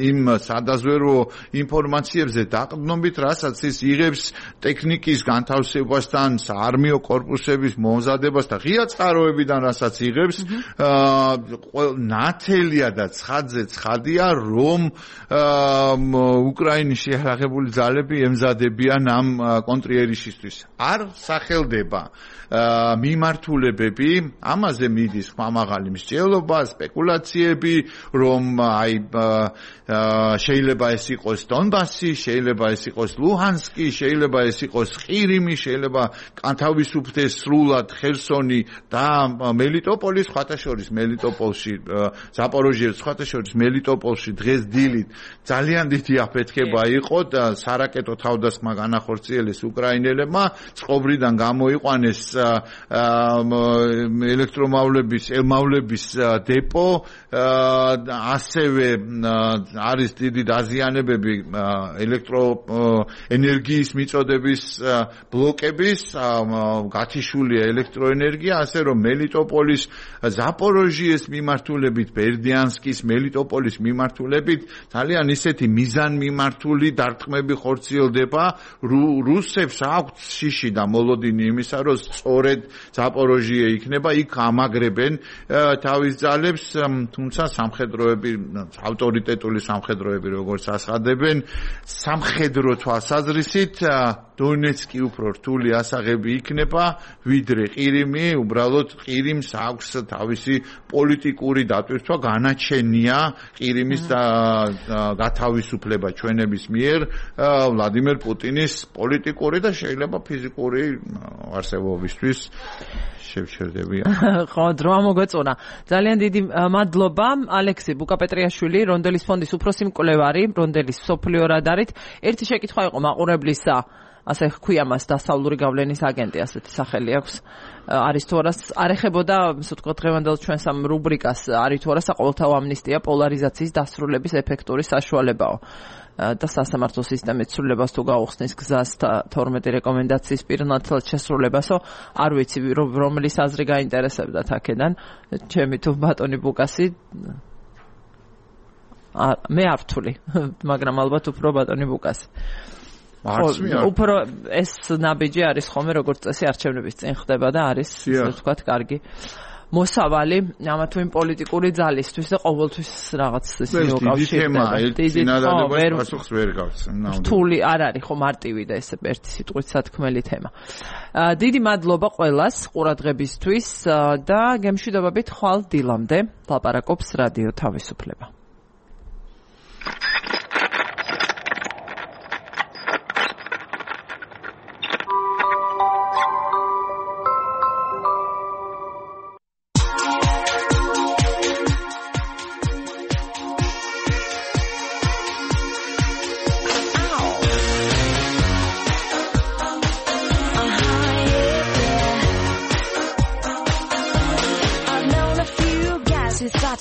იმ სადაზვერვო ინფორმაციებზე დაყრდნობით, რასაც ის იღებს ტექნიკის განთავსებასთან, საარმიო კორპუსების მომზადებას განათლებას და ღია წყაროებიდან რასაც იღებს ნათელია და ცხადზე ცხადია რომ უკრაინის შეიარაღებული ძალები ემზადებიან ამ კონტრიერიშისთვის არ სახელდება მიმართულებები ამაზე მიდის ხმამაღალი მსჯელობა სპეკულაციები რომ აი შეიძლება ეს იყოს დონბასი შეიძლება ეს იყოს ლუჰანსკი შეიძლება ეს იყოს ყირიმი შეიძლება განთავისუფლდეს სრულად ხერსონი და მელიტოპოლი სხვათა შორის მელიტოპოლში ზაპოროჟიეს სხვათა შორის მელიტოპოლში დღეს დილით ძალიან დიდი აფეთქება იყო და სარაკეტო თავდასხმა განახორციელეს უკრაინელებმა წყობრიდან გამოიყვანეს ელექტრომავლების ელმავლების დეპო ასევე არის დიდი დაზიანებები ელექტროენერგიის მიწოდების ბლოკების გათიშულია ელექტროენერგია ასე რომ მელიტოპოლის ზაპოროჟიეს მიმართულებით ბერდიანსკის მელიტოპოლის მიმართულებით ძალიან ისეთი მიზანმიმართული დარტყმები ხორციელდება რუსებს აქვთ შიში და მოლოდინი იმისა რომ სწორედ ზაპოროჟიე იქნება იქ ამაგრებენ თავის ძალებს თუმცა სამხედროები ავტორიტეტული სამხედროები როგორც ასხადებენ სამხედრო თვალსაზრისით დონეცკი უფრო რთული ასაღები იქნება ვიდრე ყირიმი უბრალოდ ყირიმს აქვს თავისი პოლიტიკური დატვირთვა განაჩენია ყირიმის გათავისუფლება ჩვენების მიერ ვლადიმერ პუტინის პოლიტიკური და შეიძლება ფიზიკური არსებობისთვის შევჩერდებიან. ხო, დრო მოგეწონა. ძალიან დიდი მადლობა ალექსი ბუკაპეტრიაშვილი, რონდელის ფონდის უფროსი მკვლევარი, რონდელის სოფლიო რადარით. ერთი შეკითხვა იყო მაყურებლისა, ასე ჰქვია მას დასავლური გავლენის აგენტი, ასეთი სახელი აქვს. არის თუ არა არ ეხებოდა, ასე ვთქვათ, დღევანდელ ჩვენს ამ რუბრიკას, არის თუ არა საყოველთაო ამნისტია პოლარიზაციის დასრულების ეფექტური საშუალებაო. და სასამართლო სისტემის ცვლილებას თუ გაუხსნის გზას თორმეტი რეკომენდაციის პირნათლად შესრულებასო არ ვიცი რომლის აზრი გაინტერესებდათ აქედან ჩემი თუ ბატონი ბუკასი მე არ ვთვლი მაგრამ ალბათ უფრო ბატონი ბუკასი უფრო ეს ნაბიჯი არის ხოლმე როგორც წესი არჩევნების წინ ხდება და არის ასე ვთქვათ კარგი მოსავალი ამა თუ იმ პოლიტიკური ძალისთვის და ყოველთვის რაღაც ის მოკავშირდება. დიდი თემა, ვერ პასუხს ვერ გავს. რთული არ არის ხო მარტივი და ესე ერთი სიტყვით სათქმელი თემა. დიდი მადლობა ყველას ყურადღებისთვის და გემშვიდობებით ხვალ დილამდე ლაპარაკობს რადიო თავისუფლება.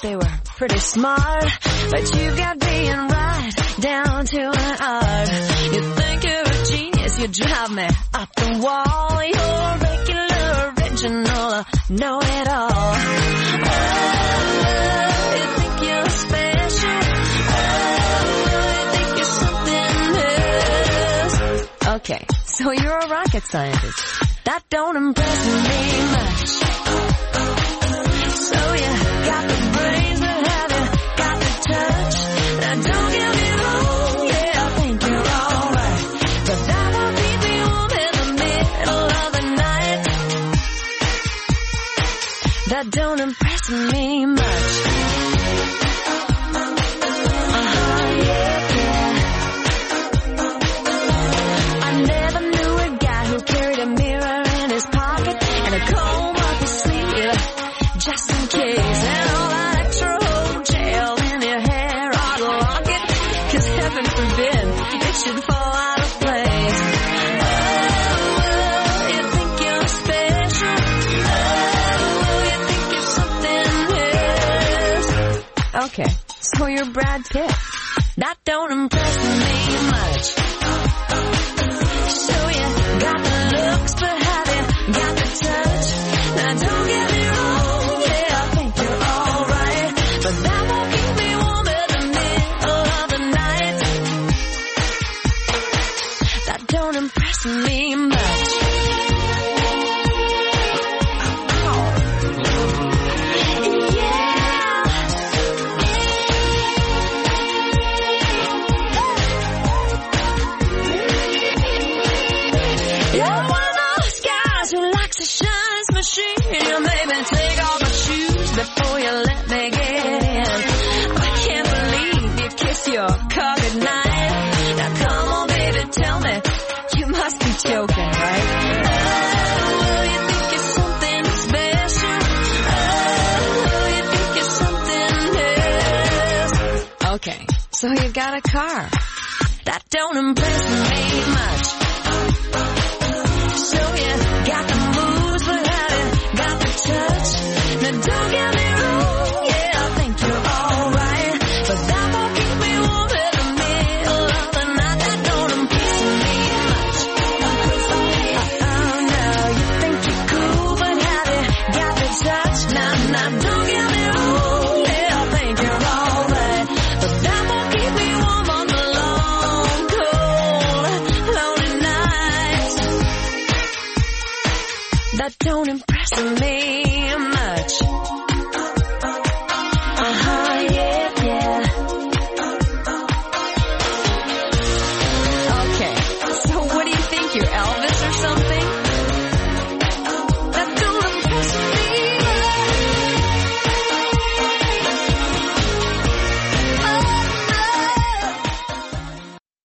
They were pretty smart, but you got being right down to an art. You think you're a genius, you drive me up the wall. You're regular, original, know it all. Oh, you think you're special. Oh, you think you're something else. Okay, so you're a rocket scientist. That don't impress me much. So you got the brains, but have you got the touch? Now don't get me wrong, yeah, I think you're alright, but that won't keep me warm in the middle of the night. That don't impress me much. Uh-huh, yeah, yeah. I never knew a guy who carried a mirror in his pocket and a comb up his sleeve. Just in case, and all that extra gel in your hair, I'd lock it, cause heaven forbid it should fall out of place. Oh, you think you're special. Oh, you think you're something else. Okay, so you're Brad Pitt. That don't impress me much. So you got the looks, but have you got the touch? Now don't get me wrong. But that won't keep me warm in the middle of the night. That don't impress me much. so you got a car. That don't impress me much. So you got the moves, but have you got the touch? Now don't get me wrong, yeah, I think you're alright, but that won't keep me warm in the middle of the night. That don't impress me much. Oh no, you think you're cool, but have you got the touch? Now, now don't get me wrong, yeah, I think you're alright, but that won't keep me warm on the long, cold, lonely nights. That don't impress me.